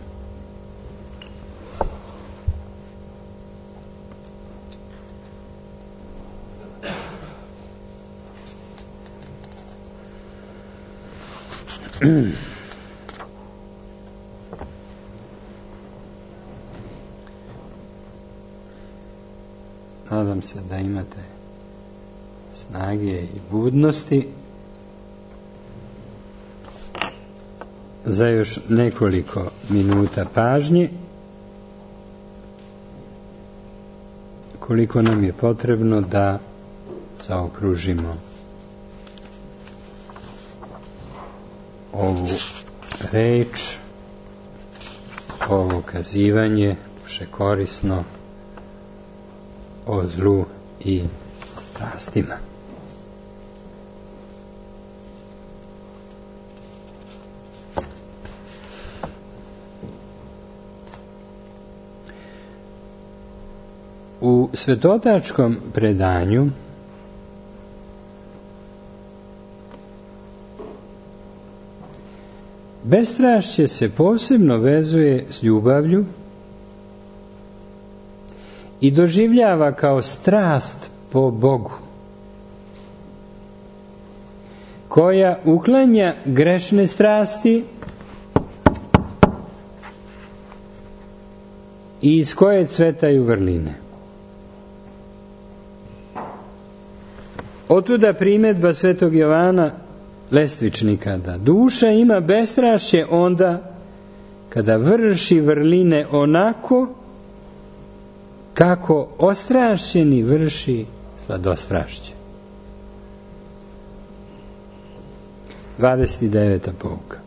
Speaker 1: Nadam se da imate snage i budnosti za još nekoliko minuta pažnje, koliko nam je potrebno da zaokružimo ovu reč, ovo kazivanje všekorisno o zlu i strastima. U svetotačkom predanju bestrašće se posebno vezuje s ljubavlju i doživljava kao strast po Bogu, koja uklanja grešne strasti i iz koje cvetaju vrline. Otuda primedba svetog Jovana Lestvičnika da duša ima bestrašće onda kada vrši vrline onako kako ostrašćeni vrši sladostrašće. dvadeset deveta pouka.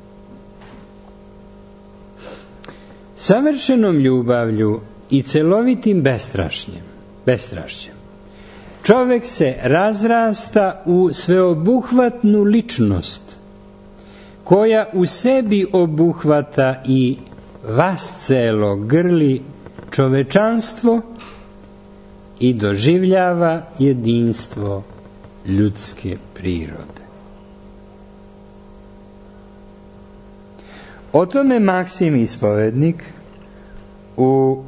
Speaker 1: Savršenom ljubavlju i celovitim bestrašnjem, bestrašćem čovek se razrasta u sveobuhvatnu ličnost koja u sebi obuhvata i vascelo grli čovečanstvo i doživljava jedinstvo ljudske prirode. O tome Maksim Ispovednik u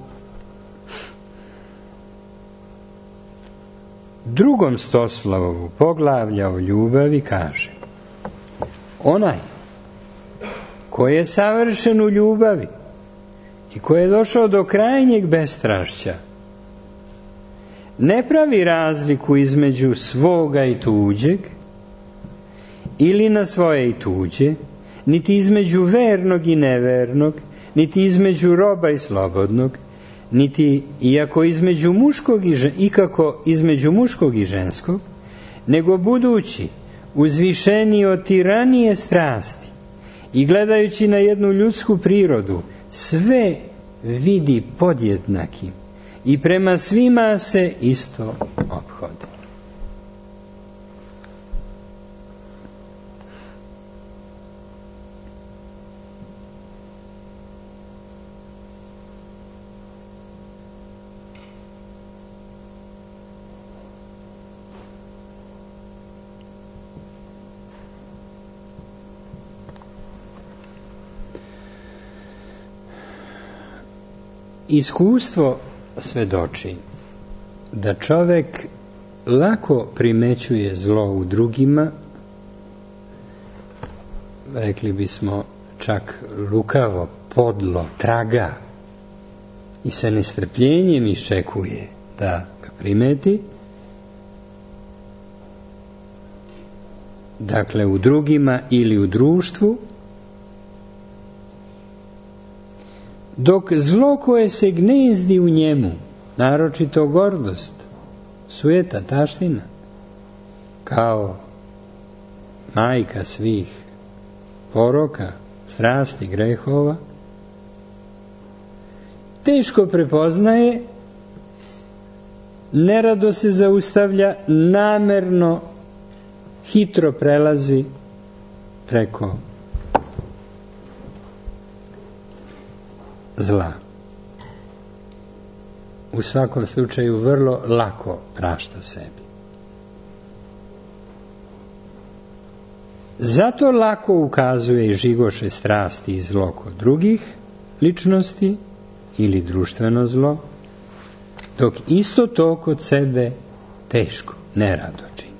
Speaker 1: drugom Stoslavovu poglavlja o ljubavi kaže: onaj koji je savršen u ljubavi i koji je došao do krajnjeg bestrašća ne pravi razliku između svoga i tuđeg ili na svoje i tuđe, niti između vernog i nevernog, niti između roba i slobodnog, niti iako između muškog i žen, ikako između muškog i ženskog, nego budući uzvišeniji od tiranije strasti i gledajući na jednu ljudsku prirodu, sve vidi podjednakim i prema svima se isto ophodi. Iskustvo svedoči da čovek lako primećuje zlo u drugima, rekli bismo čak lukavo, podlo, traga, i sa nestrpljenjem iščekuje da ga primeti, dakle u drugima ili u društvu, Dok zlo koje se gnezdi u njemu, naročito gordost, sujeta, taština, kao majka svih poroka, strasti, grehova, teško prepoznaje, nerado se zaustavlja, namerno, hitro prelazi preko zla. U svakom slučaju vrlo lako prašta sebi. Zato lako ukazuje i žigoše strasti i zlo kod drugih ličnosti ili društveno zlo, dok isto to kod sebe teško, nerado čini.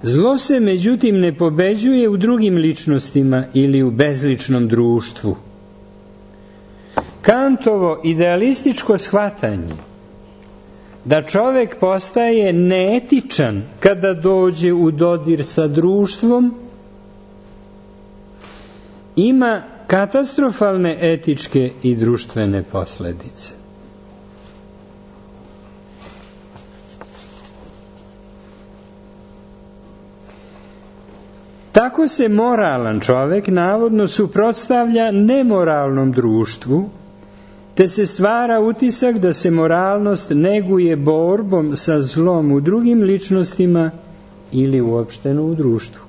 Speaker 1: Zlo se međutim ne pobeđuje u drugim ličnostima ili u bezličnom društvu. Kantovo idealističko shvatanje da čovjek postaje neetičan kada dođe u dodir sa društvom ima katastrofalne etičke i društvene posljedice. Tako se moralan čovjek navodno suprotstavlja nemoralnom društvu, te se stvara utisak da se moralnost neguje borbom sa zlom u drugim ličnostima ili uopšteno u društvu.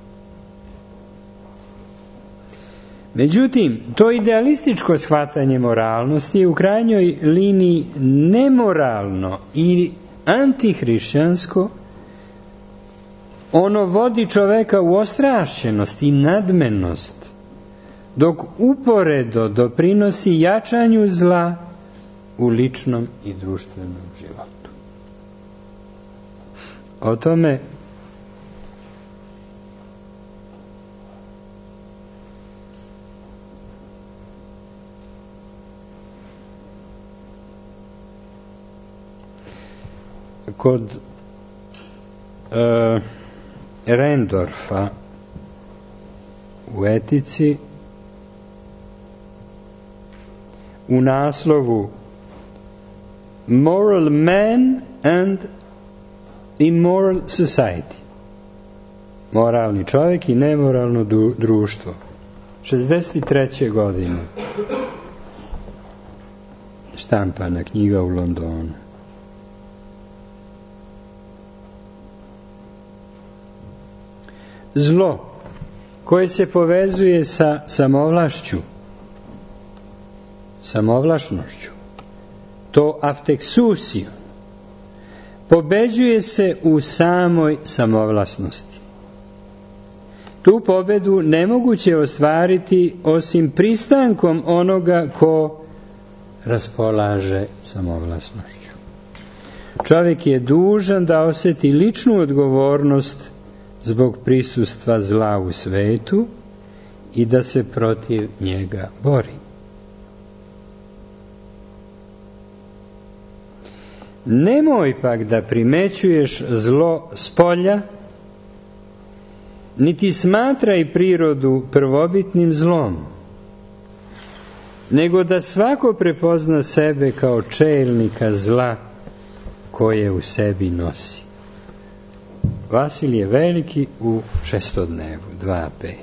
Speaker 1: Međutim, to idealističko shvatanje moralnosti je u krajnjoj liniji nemoralno i antihrišćansko. Ono vodi čoveka u ostrašćenost i nadmenost, dok uporedo doprinosi jačanju zla u ličnom i društvenom životu. O tome kod uh, Rendorfa u etici u naslovu Moral Man and Immoral Society, moralni čovjek i nemoralno društvo, šezdeset treće godine štampana knjiga u Londonu. Zlo koje se povezuje sa samovlašću, samovlašnošću, to afteksusiju, pobeđuje se u samoj samovlasnosti. Tu pobedu nemoguće ostvariti osim pristankom onoga ko raspolaže samovlasnošću. Čovjek je dužan da osjeti ličnu odgovornost zbog prisustva zla u svetu i da se protiv njega bori. Nemoj pak da primećuješ zlo spolja, niti smatraj prirodu prvobitnim zlom, nego da svako prepozna sebe kao čelnika zla koje u sebi nosi. Vasilije Veliki u šestodnevu, dva pet.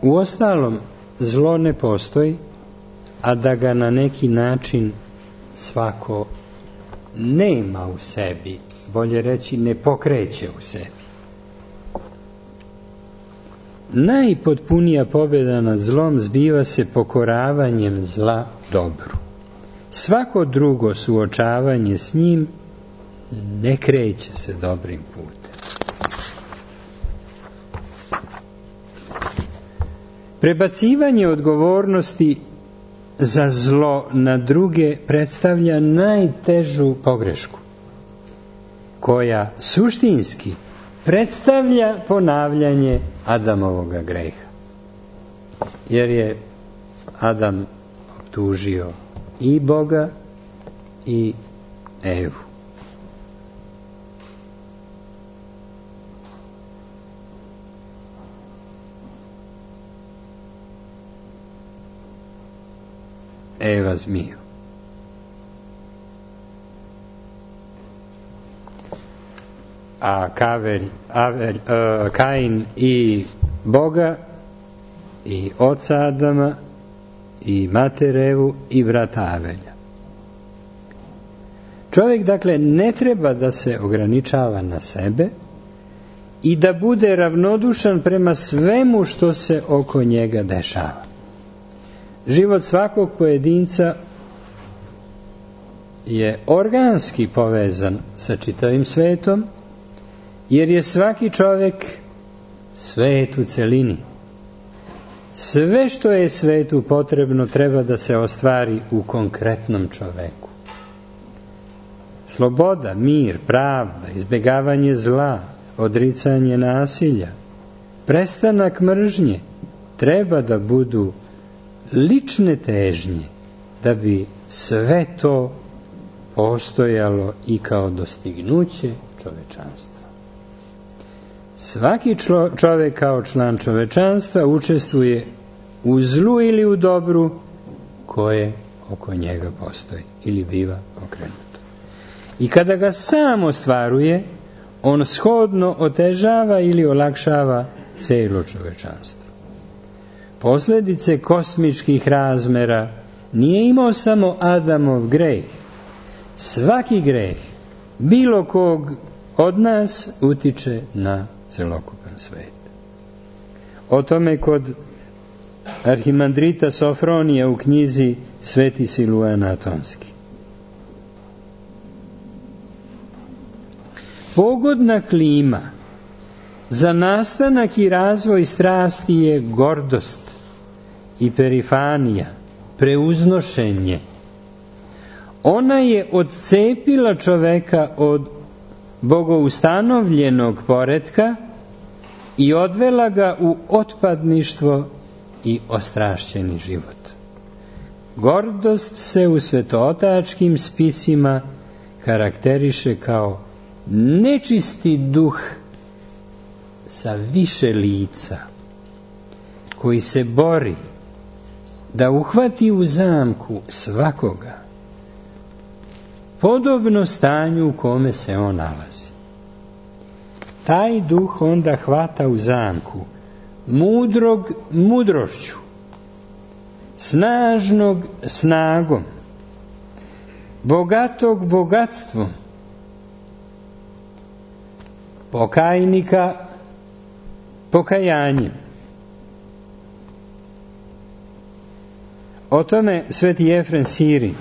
Speaker 1: Uostalom, zlo ne postoji, a da ga na neki način svako nema u sebi, bolje reći ne pokreće u sebi. Najpotpunija pobjeda nad zlom zbiva se pokoravanjem zla dobru. Svako drugo suočavanje s njim ne kreće se dobrim putem. Prebacivanje odgovornosti za zlo na druge predstavlja najtežu pogrešku, koja suštinski predstavlja ponavljanje Adamovoga greha. jer je Adam optužio i Boga i Evu. Eva zmiju. A Kavelj, Avelj, uh, Kain i Boga i oca Adama i mater Evu i brata Avelja. Čovjek, dakle, ne treba da se ograničava na sebe i da bude ravnodušan prema svemu što se oko njega dešava. Život svakog pojedinca je organski povezan sa čitavim svetom, jer je svaki čovjek svet u celini. Sve što je svetu potrebno treba da se ostvari u konkretnom čoveku. Sloboda, mir, pravda, izbjegavanje zla, odricanje nasilja, prestanak mržnje treba da budu lične težnje da bi sve to postojalo i kao dostignuće čovečanstva. Svaki čovjek kao član čovečanstva učestvuje u zlu ili u dobru koje oko njega postoji ili biva okrenuto. I kada ga sam ostvaruje, on shodno otežava ili olakšava cijelo čovečanstvo. Posljedice kosmičkih razmera nije imao samo Adamov greh. Svaki greh bilo kog od nas utiče na celokupan svet. O tome kod arhimandrita Sofronija u knjizi Sveti Siluan Atonski. Pogodna klima za nastanak i razvoj strasti je gordost i perifanija, preuznošenje. Ona je odcepila čoveka od bogoustanovljenog poretka i odvela ga u otpadništvo i ostrašćeni život. Gordost se u svetootačkim spisima karakteriše kao nečisti duh sa više lica, koji se bori da uhvati u zamku svakoga, podobno stanju u kome se on nalazi. Taj duh onda hvata u zamku mudrog mudrošću, snažnog snagom, bogatog bogatstvom, pokajnika pokajanjem. O tome sveti Jefrem Sirin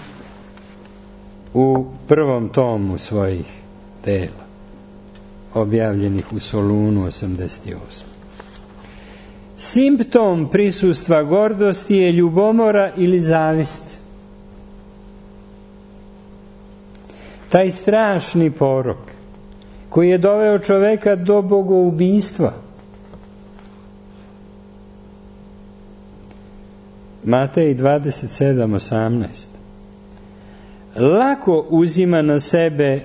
Speaker 1: u prvom tomu svojih dela, objavljenih u Solunu osamdeset osam. Simptom prisustva gordosti je ljubomora ili zavist. Taj strašni porok koji je doveo čoveka do bogoubistva. Matej dvadeset sedam osamnaest. Lako uzima na sebe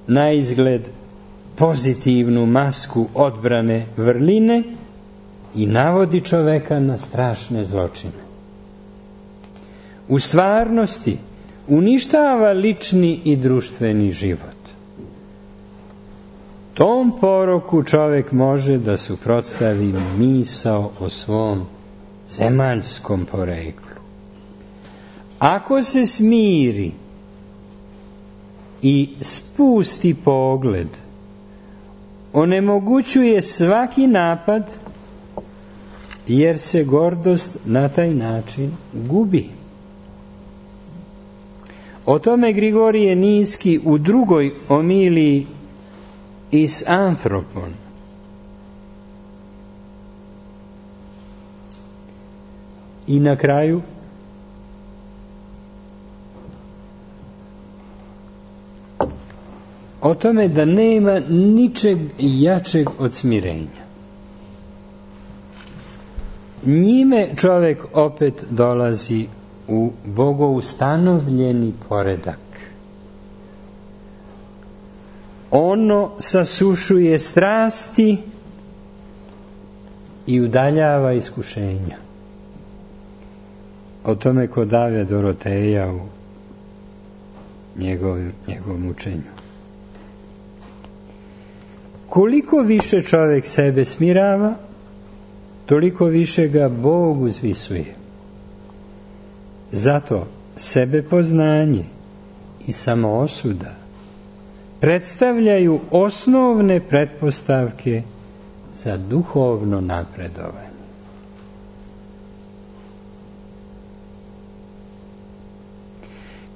Speaker 1: na izgled pozitivnu masku odbrane vrline i navodi čoveka na strašne zločine. U stvarnosti uništava lični i društveni život. Tom poroku čovek može da suprotstavi misao o svom zemaljskom poreklu. Ako se smiri i spusti pogled, onemogućuje svaki napad, jer se gordost na taj način gubi. O tome Grigorije Niski u drugoj omiliji iz Anthropon. I na kraju o tome da nema ničeg jačeg od smirenja. njime čovjek opet dolazi u bogoustanovljeni poredak. Ono sasušuje strasti i udaljava iskušenja. O tome kod Ave Doroteja u njegovom, njegovom učenju. Koliko više čovjek sebe smirava, toliko više ga Bog uzvisuje. Zato sebepoznanje i samoosuda predstavljaju osnovne pretpostavke za duhovno napredovanje.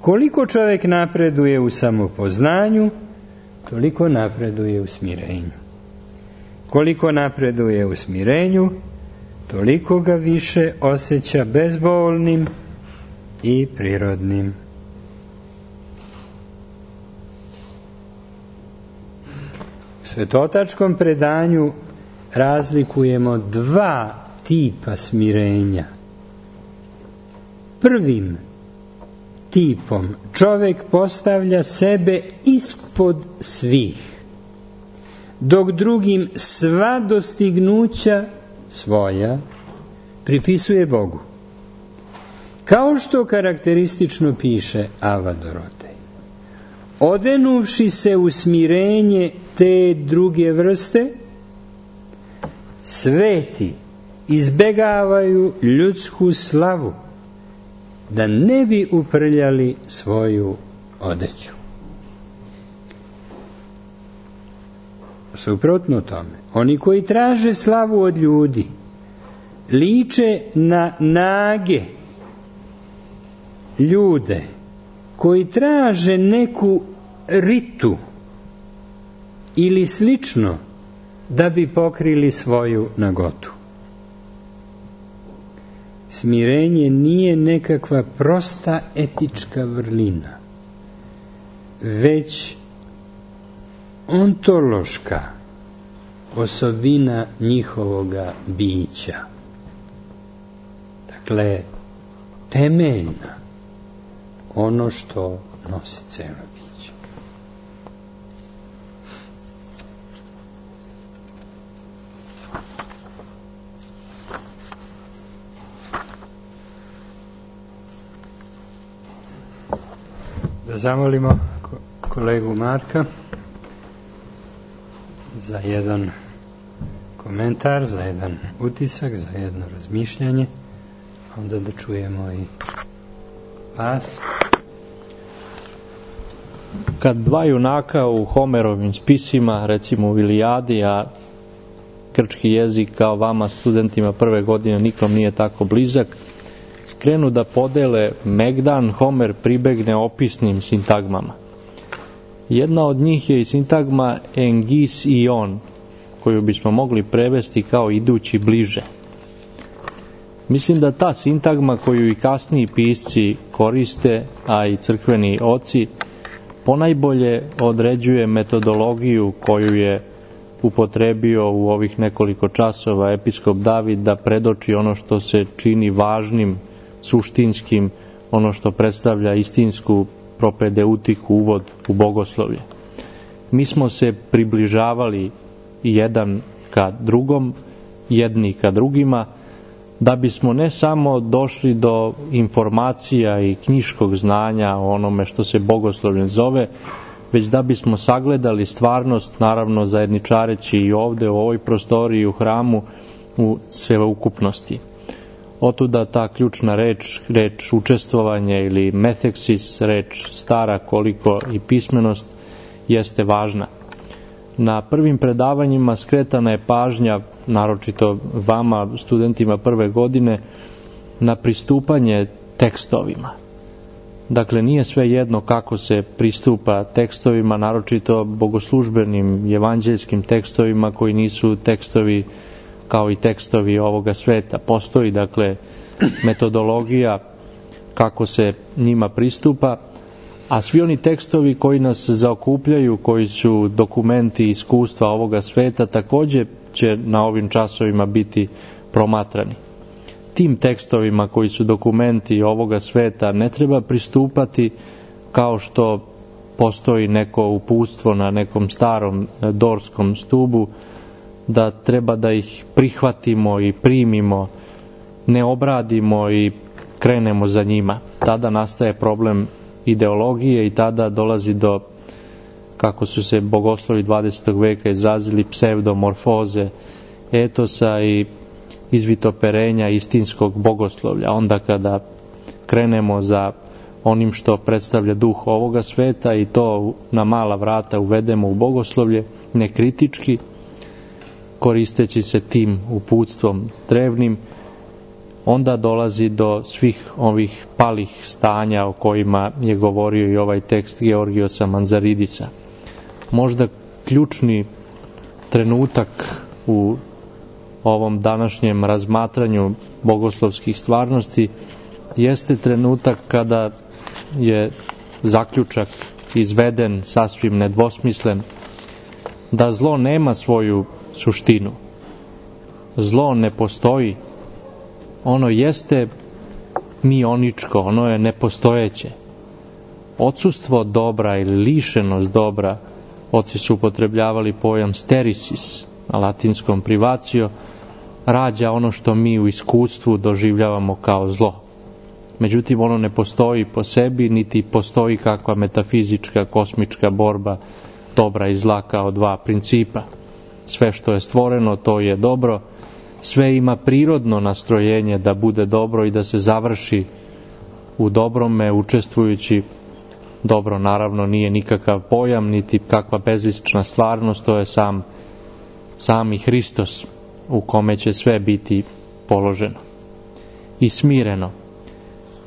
Speaker 1: Koliko čovjek napreduje u samopoznanju, toliko napreduje u smirenju. Koliko napreduje u smirenju, toliko ga više osjeća bezbolnim i prirodnim. U svetotačkom predanju razlikujemo dva tipa smirenja. Prvim tipom čovjek postavlja sebe ispod svih, dok drugim sva dostignuća svoja pripisuje Bogu. Kao što karakteristično piše Ava Dorotej, odenuvši se u smirenje te druge vrste, sveti izbegavaju ljudsku slavu, da ne bi uprljali svoju odeću. Suprotno tome, oni koji traže slavu od ljudi, liče na nage ljude koji traže neku ritu ili slično da bi pokrili svoju nagotu. Smirenje nije nekakva prosta etička vrlina, već ontološka osobina njihovoga bića. Dakle, temeljna, ono što nosi celo biće. Da zamolimo kolegu Marka za jedan komentar, za jedan utisak, za jedno razmišljanje, onda da čujemo i vas.
Speaker 3: Kad dva junaka u Homerovim spisima, recimo u Ilijadi, a grčki jezik kao vama studentima prve godine nikom nije tako blizak, krenu da podele Megdan, Homer pribegne opisnim sintagmama. Jedna od njih je i sintagma engis i on, koju bismo mogli prevesti kao idući bliže. Mislim da ta sintagma koju i kasniji pisci koriste, a i crkveni oci, ponajbolje određuje metodologiju koju je upotrebio u ovih nekoliko časova episkop David da predoči ono što se čini važnim, suštinskim, ono što predstavlja istinsku propedeutiku, uvod u bogoslovlje. Mi smo se približavali jedan ka drugom, jedni ka drugima, da bismo ne samo došli do informacija i knjiškog znanja o onome što se bogoslovlje zove, već da bismo sagledali stvarnost, naravno zajedničareći i ovde u ovoj prostoriji u hramu u sveukupnosti. Otuda ta ključna reč, reč učestvovanje ili metheksis, reč stara koliko i pismenost, jeste važna. Na prvim predavanjima skretana je pažnja, naročito vama, studentima prve godine, na pristupanje tekstovima. Dakle, nije sve jedno kako se pristupa tekstovima, naročito bogoslužbenim evanđeljskim tekstovima koji nisu tekstovi kao i tekstovi ovoga sveta. Postoji, dakle, metodologija kako se njima pristupa, a svi oni tekstovi koji nas zaokupljaju, koji su dokumenti iskustva ovoga sveta, također će na ovim časovima biti promatrani. tim tekstovima koji su dokumenti ovoga sveta ne treba pristupati kao što postoji neko uputstvo na nekom starom dorskom stubu, da treba da ih prihvatimo i primimo, ne obradimo i krenemo za njima. Tada nastaje problem ideologije i tada dolazi do, kako su se bogoslovi dvadesetog veka izrazili, psevdomorfoze etosa i izvitoperenja istinskog bogoslovlja. Onda kada krenemo za onim što predstavlja duh ovoga sveta i to na mala vrata uvedemo u bogoslovlje, nekritički, koristeći se tim uputstvom drevnim, onda dolazi do svih ovih palih stanja o kojima je govorio i ovaj tekst Georgiosa Manzaridisa. Možda ključni trenutak u ovom današnjem razmatranju bogoslovskih stvarnosti jeste trenutak kada je zaključak izveden sasvim nedvosmislen, da zlo nema svoju suštinu. Zlo ne postoji. Ono jeste mioničko, ono je nepostojeće. Odsustvo dobra ili lišenost dobra, oci su upotrebljavali pojam sterisis, na latinskom privacio, rađa ono što mi u iskustvu doživljavamo kao zlo. Međutim, ono ne postoji po sebi, niti postoji kakva metafizička, kosmička borba dobra i zla kao dva principa. Sve što je stvoreno, to je dobro. Sve ima prirodno nastrojenje da bude dobro i da se završi u dobrome, učestvujući. Dobro, naravno, nije nikakav pojam, niti kakva bezlična stvarnost, to je sam, sami Hristos u kome će sve biti položeno i smireno.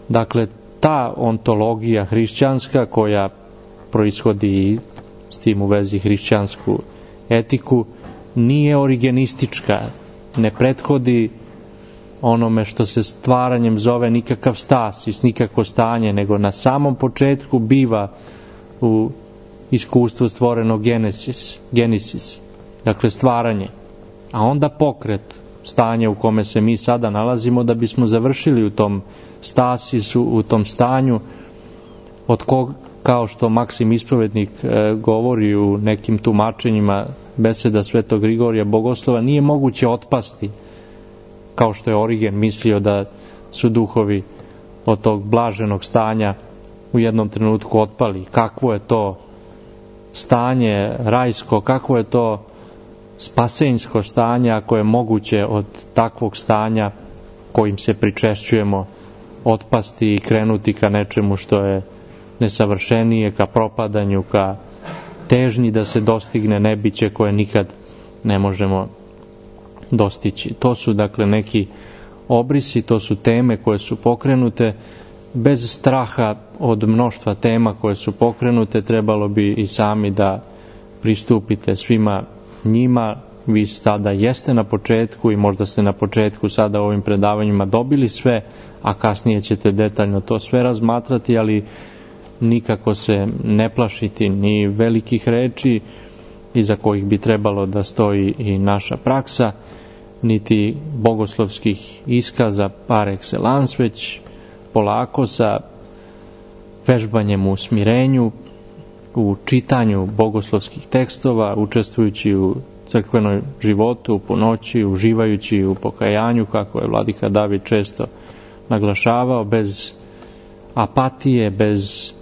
Speaker 3: Dakle, ta ontologija hrišćanska koja proishodi s tim u vezi hrišćansku etiku nije origenistička, ne prethodi onome što se stvaranjem zove nikakav stasis, nikakvo stanje, nego na samom početku biva u iskustvu stvoreno genesis, genesis, dakle stvaranje, a onda pokret, stanje u kome se mi sada nalazimo, da bismo završili u tom stasisu, u tom stanju od kog, kao što Maksim Ispovednik e, govori u nekim tumačenjima beseda Svetog Grigorija Bogoslova, nije moguće otpasti, kao što je Origen mislio da su duhovi od tog blaženog stanja u jednom trenutku otpali. Kakvo je to stanje rajsko, kakvo je to spasenjsko stanje ako je moguće od takvog stanja kojim se pričešćujemo otpasti i krenuti ka nečemu što je nesavršenije, ka propadanju, ka težnji da se dostigne nebiće koje nikad ne možemo dostići. To su dakle neki obrisi, to su teme koje su pokrenute. Bez straha od mnoštva tema koje su pokrenute, trebalo bi i sami da pristupite svima njima. Vi sada jeste na početku i možda ste na početku sada u ovim predavanjima dobili sve, a kasnije ćete detaljno to sve razmatrati, ali nikako se ne plašiti ni velikih reči iza kojih bi trebalo da stoji i naša praksa, niti bogoslovskih iskaza par excellence, već polako sa vežbanjem u smirenju, u čitanju bogoslovskih tekstova, učestvujući u crkvenoj životu, u ponoći, uživajući u pokajanju, kako je vladika David često naglašavao, bez apatije, bez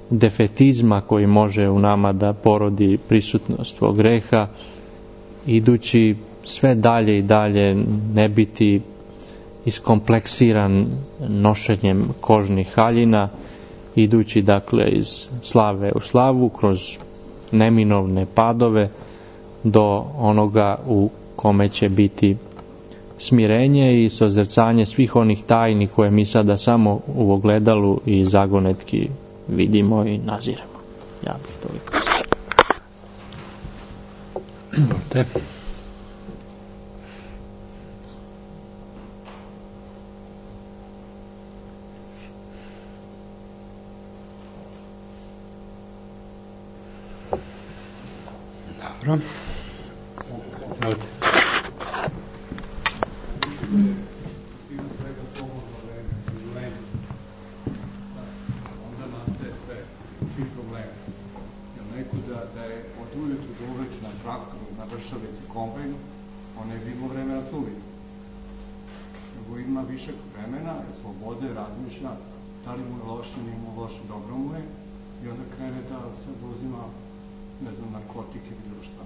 Speaker 3: defetizma koji može u nama da porodi prisutnost svog greha, idući sve dalje i dalje, ne biti iskompleksiran nošenjem kožnih haljina, idući dakle iz slave u slavu, kroz neminovne padove, do onoga u kome će biti smirenje i sozrcanje svih onih tajni koje mi sada samo u ogledalu i zagonetki vidimo i naziremo. Ja bih toliko.
Speaker 1: Te. Dobro. Ovdje.
Speaker 4: od ujutru do uveče na traktoru, na vršalici, kombajnu, on ne bi imao vremena suviti. Nego ima više vremena, slobode, razmišlja, da li mu je loše, nije mu loše, dobro mu je, i onda krene da se uzima, ne znam, narkotike ili bilo šta.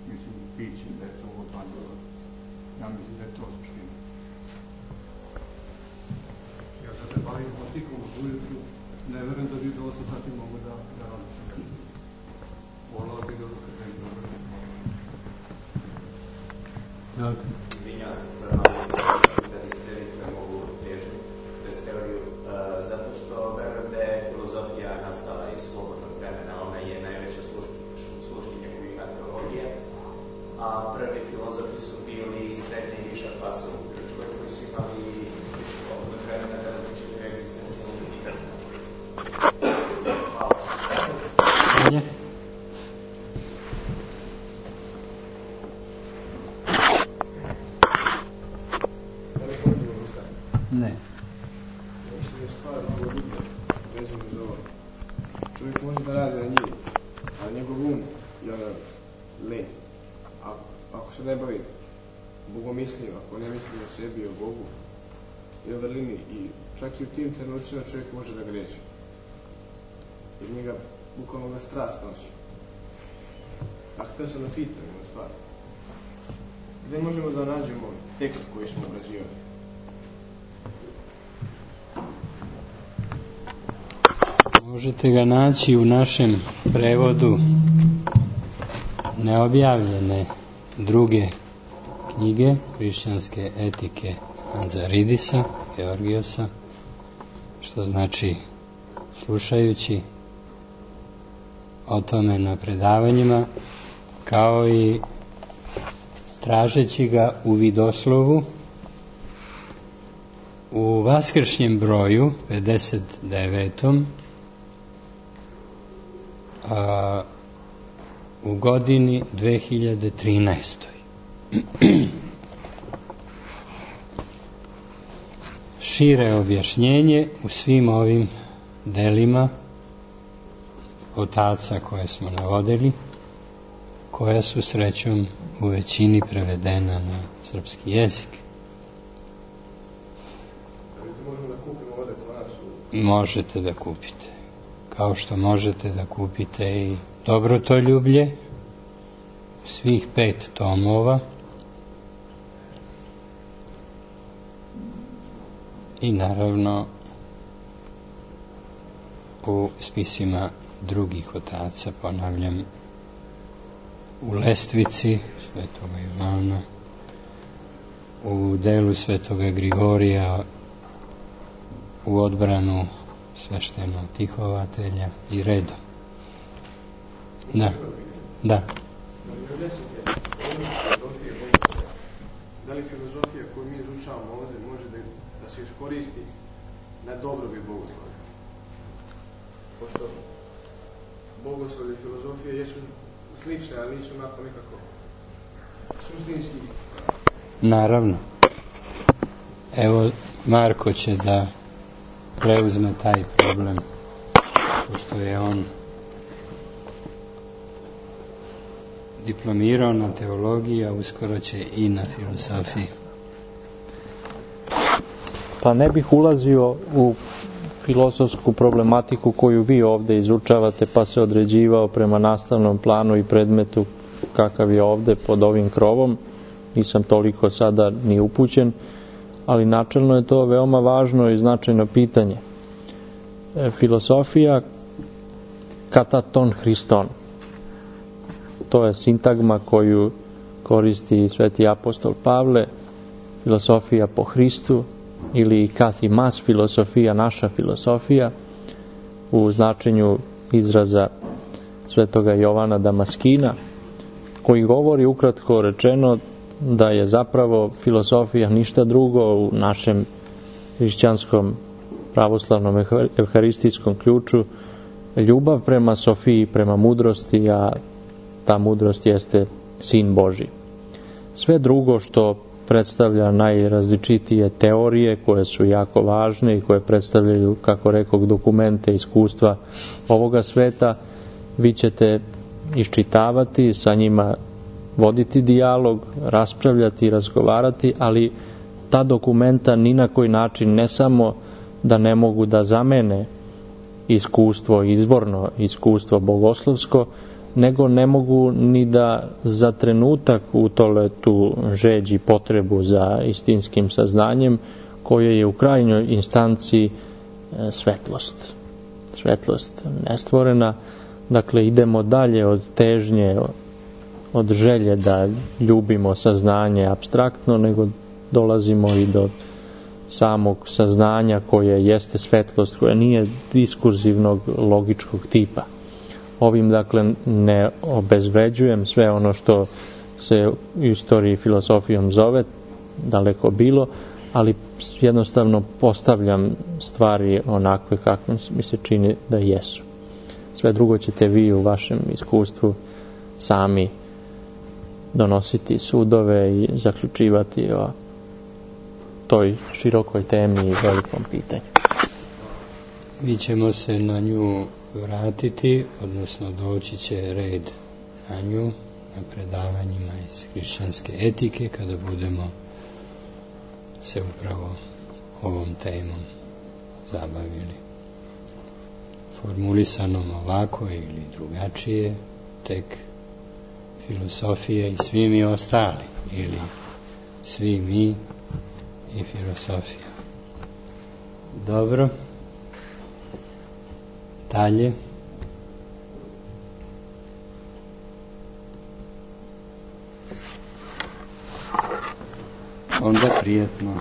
Speaker 4: Mislim, piće, deca, ovo padilo. Ja mislim da je to suština. Ja kad se bavim motikom od ujutru, ne verujem da bi do osam sati mogu da, da radim se nešto. Volao bi da kad ne bi dobro.
Speaker 2: Izvinjavam se stvarno, da li ste da mogu težu test teoriju, zato što verujem da je filozofija nastala iz slobodnog vremena, ona je najveća sluškinja koju ima teologija, a prvi filozofi su bili srednja i viša klasa u Grčkoj, koji su imali više slobodnog vremena da različite egzistencijalne pitanja. Hvala.
Speaker 1: Hvala. Ne.
Speaker 5: Mislim da je stvar mnogo dublja, vezano za ovo. Čovjek može da radi na njivi, a njegov um je ona len. A, ako se ne bavi bogomislim, ako ne misli o sebi i o Bogu i o vrlini, i čak i u tim trenucima čovjek može da greši. Jer njega, bukvalno ga strast nosi. A htio sam da pitam jednu stvar. Gde možemo da nađemo tekst koji smo obrađivali?
Speaker 1: Možete ga naći u našem prevodu neobjavljene druge knjige hrišćanske etike Anzaridisa, Georgiosa, što znači slušajući o tome na predavanjima, kao i tražeći ga u vidoslovu u vaskršnjem broju pedeset devetom a, u godini dve hiljade trinaestoj. Šire objašnjenje u svim ovim delima otaca koje smo navodili, koja su srećom u većini prevedena na srpski jezik. Možete da kupite, kao što možete da kupite i Dobrotoljublje, svih pet tomova, i naravno u spisima drugih otaca, ponavljam, u Lestvici Svetoga Ivana, u delu Svetoga Grigorija, u odbranu sveštenog tihovatelja i redom. Da, da.
Speaker 5: Da li filozofija koju mi izučavamo ovdje može da, da se iskoristi na dobrobit bogoslovlja? Pošto bogoslovlje i filozofije jesu slične, ali nisu onako nekako suštinski.
Speaker 1: Naravno. Evo, Marko će da preuzme taj problem, pošto je on diplomirao na teologiji, a uskoro će i na filozofiji.
Speaker 3: Pa ne bih ulazio u filozofsku problematiku koju vi ovdje izučavate, pa se određivao prema nastavnom planu i predmetu kakav je ovdje pod ovim krovom. Nisam toliko sada ni upućen, ali načelno je to veoma važno i značajno pitanje. E, filosofija kataton Hriston. To je sintagma koju koristi sveti apostol Pavle, filosofija po Hristu, ili kathimas, filosofija, naša filosofija, u značenju izraza svetoga Jovana Damaskina, koji govori ukratko rečeno da je zapravo filosofija ništa drugo u našem hrišćanskom pravoslavnom evharistijskom ključu ljubav prema Sofiji, prema mudrosti, a ta mudrost jeste Sin Božji. Sve drugo što predstavlja najrazličitije teorije koje su jako važne i koje predstavljaju, kako rekao, dokumente, iskustva ovoga sveta, vi ćete iščitavati, sa njima voditi dijalog, raspravljati, razgovarati, ali ta dokumenta ni na koji način ne samo da ne mogu da zamene iskustvo, izvorno iskustvo bogoslovsko, nego ne mogu ni da za trenutak utole tu žeđ i potrebu za istinskim saznanjem, koje je u krajnjoj instanciji svetlost. Svetlost nestvorena. Dakle, idemo dalje od težnje, od želje da ljubimo saznanje apstraktno, nego dolazimo i do samog saznanja koje jeste svetlost, koja nije diskurzivnog, logičkog tipa. Ovim, dakle, ne obezvređujem sve ono što se u istoriji filosofijom zove, daleko bilo, ali jednostavno postavljam stvari onakve kakve mi se čini da jesu. Sve drugo ćete vi u vašem iskustvu sami donositi sudove i zaključivati o toj širokoj temi i velikom pitanju.
Speaker 1: Mi ćemo se na nju vratiti, odnosno doći će red na nju, na predavanjima iz hrišćanske etike, kada budemo se upravo ovom temom zabavili. Formulisanom ovako ili drugačije, tek filosofija i svi mi ostali, ili svi mi i filosofija. Dobro. Dalje. Onda prijetno.